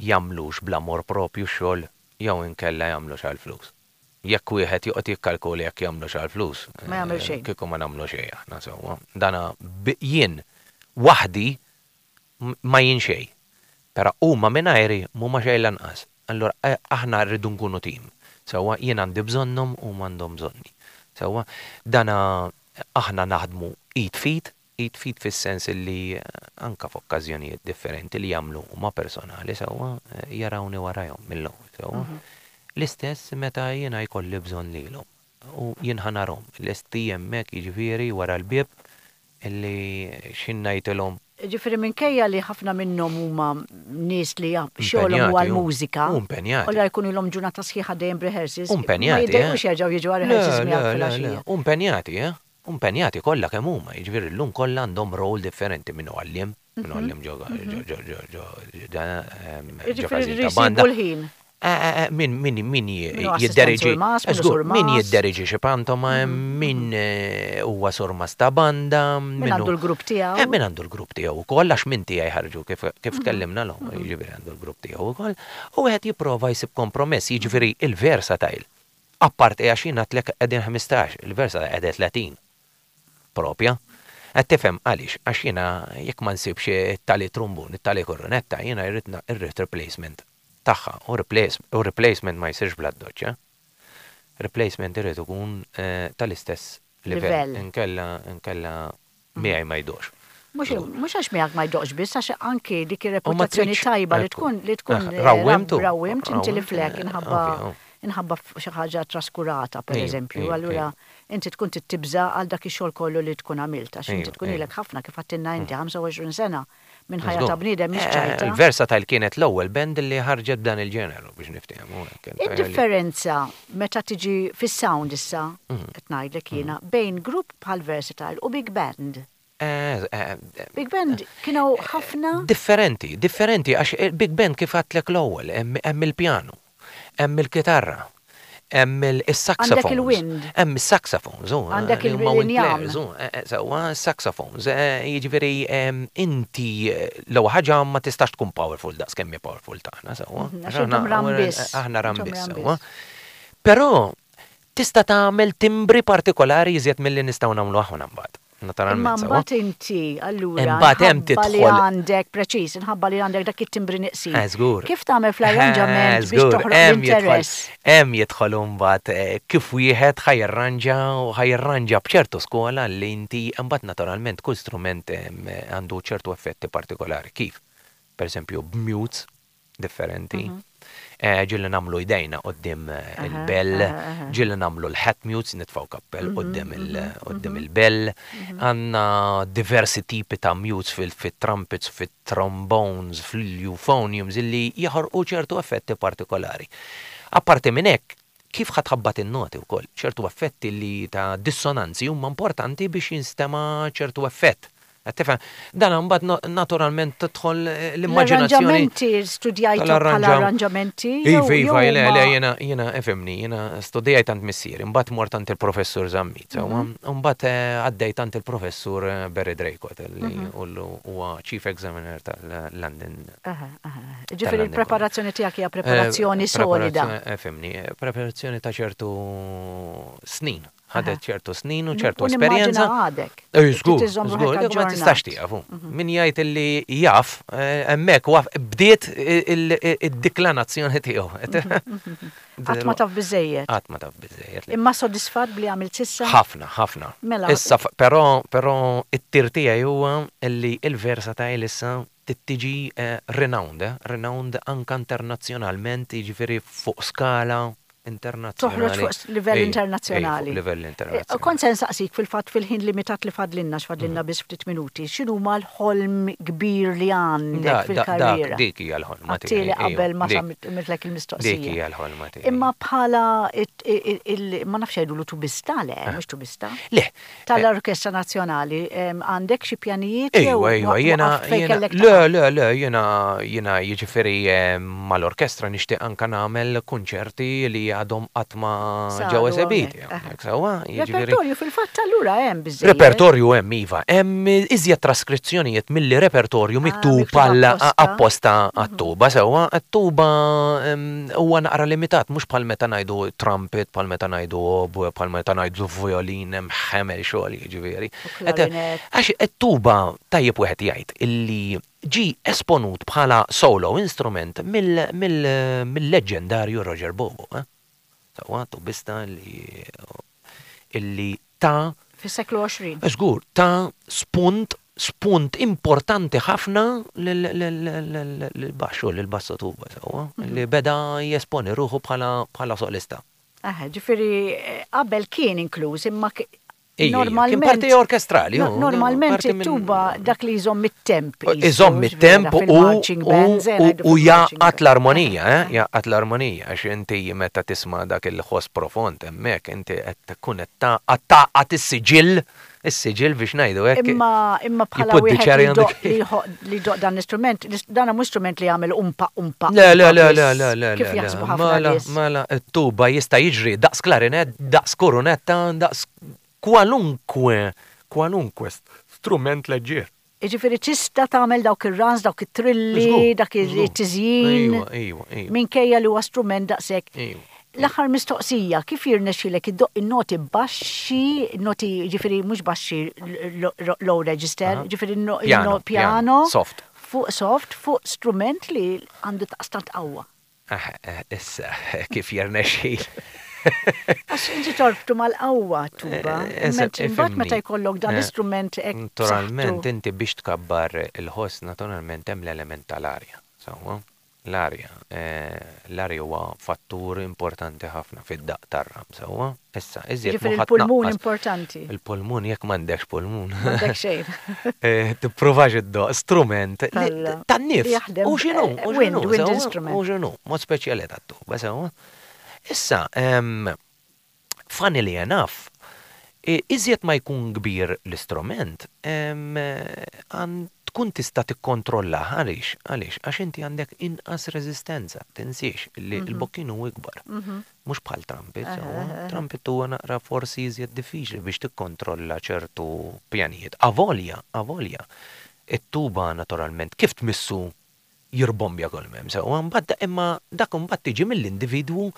jagħmlux bl-amor propju x-xogħol jew inkella jagħmlux għall-flus. Jekk wieħed joqgħod jikkalkula jekk jagħmlux għall-flus, Ma jagħmel xejn. kieku ma nagħmlu xejn aħna sewwa. Dana jien waħdi ma jien xejn. Però huma mingħajri m'huma xejn lanqas. Allura aħna rridu nkunu tim. Sewwa jien għandi bżonnhom huma għandhom bżonni. Sewwa dana aħna naħdmu id f'id, id f'id fis-sens li anka f'okkażjonijiet differenti li jagħmlu huma personali sewwa jarawni warajhom mill-ewwel sewwa. L-istess meta jiena jkolli bżonn lilhom u jien ħa narhom lesti hemmhekk jiġifieri wara l-bieb illi x'ħin ngħidilhom. Ġifieri minkejja li ħafna minnhom huma nies li xogħolhom huwa Impenjati, l-mużika. U impenjati. U jkunu ilhom ġurnata sħiħa dejjem b'rehearsals. U impenjati, Ma jiddejqux jerġgħu jiġu għal rehearsals Le, miegħek le, le, le. filgħaxija. U impenjati, eh? U impenjati kollha kemm huma, jiġifieri llum kollha għandhom role differenti min hu għalliem, min hu għalliem ġo ġo ġo ġo ġo ġo Ġifieri każin ta' jsibu banda. l-ħin. Min min min Min hu assistent jidderieġi, surmas, min hu żgur, min surmas. jidderieġi xi pantomime, min huwa surmas ta' banda, Min min għandu hu l-grupp tiegħu. Min għandu l-grupp tiegħu wkoll għax minn tiegħi ħarġu kif kif tkellimna l jiġifieri għandu l-grupp tiegħu wkoll, u wieħed jipprova jsib kompromess, jiġifieri il-versatile. Apparti għax jien għedtlek qegħdin 15, il-versatile qegħdin 30. Propja. Qed tifhem għaliex, għax jiena jekk ma nsibx it-tali trumbun, it-tali kornetta, jiena irrid irrid replacement tagħha u replace u replacement ma jsirx bl-addoċċ, eh? Replacement irid ikun tal-istess livell. Livell. Inkella inkella miegħi ma jdoqx. Mhux mhux għax miegħek ma jdoqx biss, għax anki dik U ma ir-reputazzjoni tridx tajba li ekku. tkun li tkun Rawwimtu. rawwimt inti li Rawwimt, flek inħabba ovvja. inħabba xi ħaġa traskurata Ejju, pereżempju, ejju, allura ejju. inti tkun tibża għal dak ix-xogħol kollu li tkun għamilt għax inti Ejju, tkun ejju. ilek ħafna kif għedtilna inti 25 sena minn ħajja Żgur. ta' bniedem mhix ċajta. Il-Versatile kienet l-ewwel band li ħarġet b'dan il-ġeneru biex niftehmu hekk. Id-differenza meta tiġi fis-sound issa, qed ngħidlek jiena, bejn grupp bħal Versatile u big band. Big band kienu ħafna Differenti, differenti għax il-big band kif għedtlek l-ewwel, hemm hemm il-pjanu, hemm il-kitarra, hemm il-saxophones. Għandek il-wind. Hemm is-saxophones, u Għandek li huma wind il-injam. players, u, sewwa saxophones, jiġifieri inti l-ewwel ħaġa ma tistax tkun powerful daqs kemm hi powerful tagħna, sewwa. Għax intom ram biss. Aħna ram Intom biss, ram sewwa. biss. Però tista' tagħmel timbri partikolari iżjed milli nistgħu nagħmlu aħna mbagħad. Imma Naturalment, sewwa. mbagħad inti allura Imbagħad hemm inħabba li tidħol- għandek preċiż, inħabba li għandek dak it-timbri neqsin. Żgur. Kif tagħmel fl-arranġament biex Żgur, toħroq hemm jidħol- l-interess? Hemm jidħol imbagħad kif wieħed ħa jirranġa u ħa jirranġa b'ċertu skola li inti imbagħad naturalment kull strument għandu ċertu effetti partikolari. Kif? Per eżempju, b'mutes differenti. Ġieli nagħmlu jdejna quddiem il-bell, aha, aha. ġieli nagħmlu l-hat mutes, nitfgħu kappell quddiem quddiem il-bell. Għandna diversi tipi ta' mutes fil-trumpets, fil-trombones, fil-euphoniums illi jaħorqu ċertu effetti partikolari. Apparti minn hekk, kif ħa tħabbat in-noti wkoll, ċertu effetti li ta' dissonanzi huma importanti biex jinstema' ċertu effett. Qed tifhem? Dan imbagħad naturalment tidħol l-immaġinazzjoni. L-arranġamenti studjajtu bħala tal-arranġam- arranġamenti? Iva, jew- iva, jew le, huma- le, jiena, jiena, ifhimni, jiena studijajt għand missieri, imbagħad mort għand il-professur Zammit, sewwa, imbagħad għaddejt għand il-professur Barry Draycott, li huwa chief examiner tal-London. Aha, aha. Ġifieri Tal-London il-preparazzjoni tiegħek hija preparazzjoni solida. Ifhimni, preparazzjoni ta' ċertu snin. Ħadet ċertu snin u ċertu U nimmaġina esperjenza. għadek. Ej, żgur, Trid iżżomm żgur, ruħek dik ma tistax aġġornat. tieqaf. Min jgħid illi jaf, eh, hemmhekk waf bdiet id-deklinazzjoni tiegħu. Qatt ma taf biżejjed. Qatt ma taf biżejjed. Imma sodisfatt bli għamilt s'issa? Ħafna, ħafna. Mela. Issa, però, però it-tir tiegħi huwa illi il-Versatile issa tiġi renowned, eh? Renowned anka internazzjonalment, jiġifieri fuq skala internazzjonali. Toħroġ fuq livell Ej, ej, internazzjonali. fuq livell internazzjonali. Kont se nsaqsik fil-fatt fil-ħin limitat li fadlinna, x'fadlinna biss ftit minuti, x'inhuma l-ħolm kbir li għandek fil-karriera? Dik hija l-ħolma tiegħi. Għedtli ejwa, qabel ma dik- għamiltlek il-mistoqsija. Dik hija l-ħolma tiegħi. Imma bħala ma nafx jgħidulu tubista, le, mhux tubista. Le. Tal-Orkestra Nazzjonali, għandek xi pjanijiet jew Ejwa, ejwa, jiena, waqaft fejn jiena, kellek le, taqaf? le, le, jiena, jiena jiġifieri mal-orkestra nixtieq anka nagħmel kunċerti li għadhom qatt ma Saru ġew esebiti. hawnhekk, aha. Hawnhekk, sewwa, jiġifieri. Repertorju fil-fatt allura hemm biżejjed. Repertorju hemm iva, hemm iżjed traskrizzjonijiet milli repertorju Ah, miktub miktub għal apposta. apposta għat-tuba, sewwa, għat-tuba huwa naqra limitat, mhux bħal meta ngħidu trumpet, bħal meta ngħidu oboe, bħal meta ngħidu violin, hemm ħemel xogħol jiġifieri. U clarinet. Għax it-tuba tajjeb wieħed jgħid illi ġi esponut bħala solo instrument mill-leġendarju Roger Bobo. Eh? Sewwa, tubista li illi ta' Fis-seklu 20. Żgur, ta' spunt importanti ħafna lil-baxxu, lil-basso tuba, sewwa, li beda jesponi ruħu bħala solista. Aha, ġifieri qabel kien inkluż, imma Ejja, kien normalment parti orkestrali, No, normalment parti minn- it-tuba dak li jżomm it-temp. qisu, Iżomm it-temp ġifieri, u fil-marching bands, ngħidu u fil-marching jaqgħad band. l-armonija, eh, jaqgħad l-armonija, għax inti meta tisma' dak il-ħoss profond hemmhekk inti qed tkun qed taqgħad is-siġill, is-siġill biex ngħidu hekk. Imma bħala You put the wieħed cherry li on the doq li jħoq- li doq dan l-istrument, dan mhux strument li jagħmel umpa umpa. Le, le, umpa le, biss, le, le, le, Kif le, jaħsbu ħafna mela, nies. mela, it-tuba jista' jiġri daqs klarinett, daqs korunetta, daqs kwalunkwe, kwalunkwe Strument leġġier. Jiġifieri tista' tagħmel dawk ir-runs, dawk it-trilli, Żgur, dak żgur. it-tiżjin. Ejwa, ejwa, ejwa. Minkejja li huwa strument daqshekk. Ejwa. L-aħħar mistoqsija, kif jirnexxilek iddoq in-noti baxxi, noti ġifieri mhux baxxi low register, ġifieri Piano, piano, piano, soft. Fuq soft, fuq strument li għandu taqstant qawwa. Ah, issa, kif jirnexxil. Għax inti torbtu mal-qawwa tuba. Mentri mbagħad meta Ifhimni. jkollok dan l-istrument hekk Naturalment, b'saħħtu. inti biex tkabbar il-ħoss, naturalment hemm l-element tal-arja. Sewwa, l-arja. L-arja huwa fattur importanti ħafna fid-daq tar-ram, sewwa. Issa, iżjed Ġifieri ma il-pulmun tnaqqas- importanti. Il-pulmun, jekk m'għandekx pulmun. M'għandek xejn. Tippruvax iddoq strument li- tan-nifs. Li jaħdem, U x'inhu, u wind, x'inhu, wind sewwa, instrument. U x'inhu, mod speċjali tat-tuba, sewwa. Issa, funnily enough, iżjed ma jkun kbir l-istrument, tkun tista' tikkontrolla. Għaliex? Għaliex? Għax inti għandek inqas reżistenza, tinsiex li l-bokkin hu ikbar. Mhux bħal trumpet, sewwa. Trumpet huwa naqra forsi iżjed diffiċli biex tikkontrolla ċertu pjanijiet. Avolja, avolja. It-tuba naturalment kif tmissu jirbombja kull m'hemm, sewwa, mbagħad imma dak imbagħad tiġi mill-individwu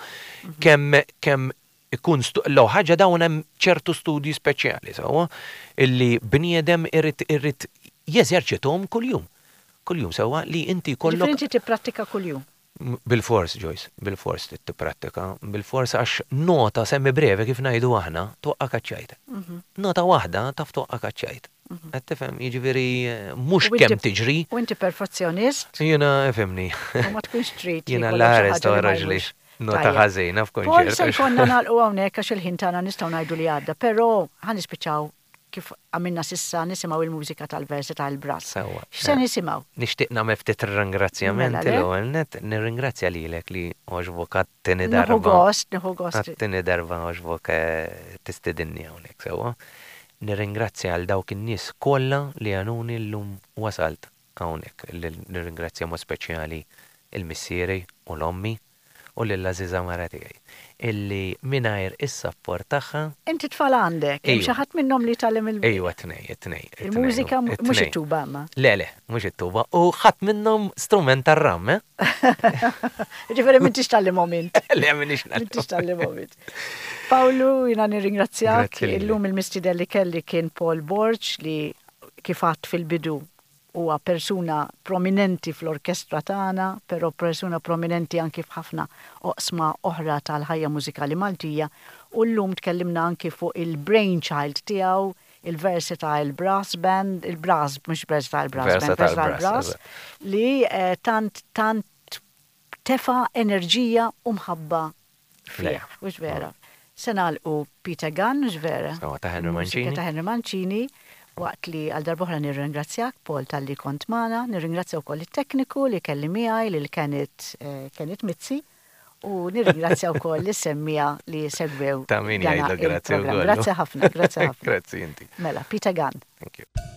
kemm ikun l ħaġa dawn hemm ċertu studji speċjali, sewwa, illi bniedem irrid jeżerċithom kuljum. Kuljum sewwa li inti jkollok Ġifieri inti tipprattika kuljum. Bil-fors, Joyce, bil-fors tipprattika, bil-fors għax nota semmi breve kif ngħidu aħna, toqqa kaċċajt. Nota waħda taf toqqa kaċċajt. Qed tifhem, jiġifieri mhux U inti- kemm tiġri. U inti perfezzjonist Jiena ifhimni. u ma tkunx trid. li Jiena jkollok xi l-ħares ħaġa li ma toħroġ li jmurx. nota Tajjeb. ħażina Paul, f'kunċert. se jkollna nagħlqu hawnhekk għax il-ħin tagħna nistgħu ngħidu li għadda, però ħa nispiċċaw kif għamilna s'issa nisimgħu il-mużika tal-Versatile Brass. Sewwa. X'se nisimgħu? Nixtieq nagħmel ftit ringrazzjamenti Mela, le? l-ewwel net, nirringrazzja lilek li għoġbok għat-tieni Nieħu darba. gost, nieħu gost. Għat-tieni darba għoġbok tistedinni hawnhekk sewwa. Nirringrazzja għal dawk in-nies kollha li għanuni llum wasalt hawnhekk. Nirringrazzja mod speċjali il-missieri u l-ommi. U lill-għażiża mara tiegħi, illi mingħajr is-sapport tagħha. Inti tfal għandek? Hemm xi ħadd minnhom li jtgħallem il. Ejwa, t-tnejn, it-tnejn. Il-mużika mhux it-tuba imma. Le, le, mhux it-tuba. U ħadd minnhom strument tar-ram, eh? Ġifieri m'intix tgħallimhom int. Le, m'iniex ngħallimhom. M'intix tgħallimhom int. Pawlu, jiena nirringrazzjak. Illum il-mistieden li kelli kien Paul Borg li kif għedt fil-bidu Huwa persuna prominenti fl-orkestra tagħna, però persuna prominenti anki f'ħafna oqsma oħra tal-ħajja mużikali Maltija u llum tkellimna anki fuq il-brainchild tiegħu, il-Versatile Brass Band, il-Brass, mhux Versatile Brass Band, Versatile Brass, li tant tant tefa' enerġija u mħabba fih, hux vera? Se nagħlqu Peter Gunn, hux vera? Sewwa, ta' Henry Mancini. Ta' Henry Mancini, waqt li għal darb'oħra nirringrazzjak, Paul, talli kont magħna, nirringrazzja wkoll it-tekniku li kelli miegħi, lil Kenneth, Kenneth Mizzi, u nirringrazzja wkoll lis-semmiegħa li segwew Ta' min jgħidlek grazzi wkoll. Grazzi ħafna, grazzi ħafna. Grazzi inti. Mela, Peter Gunn. Thank you.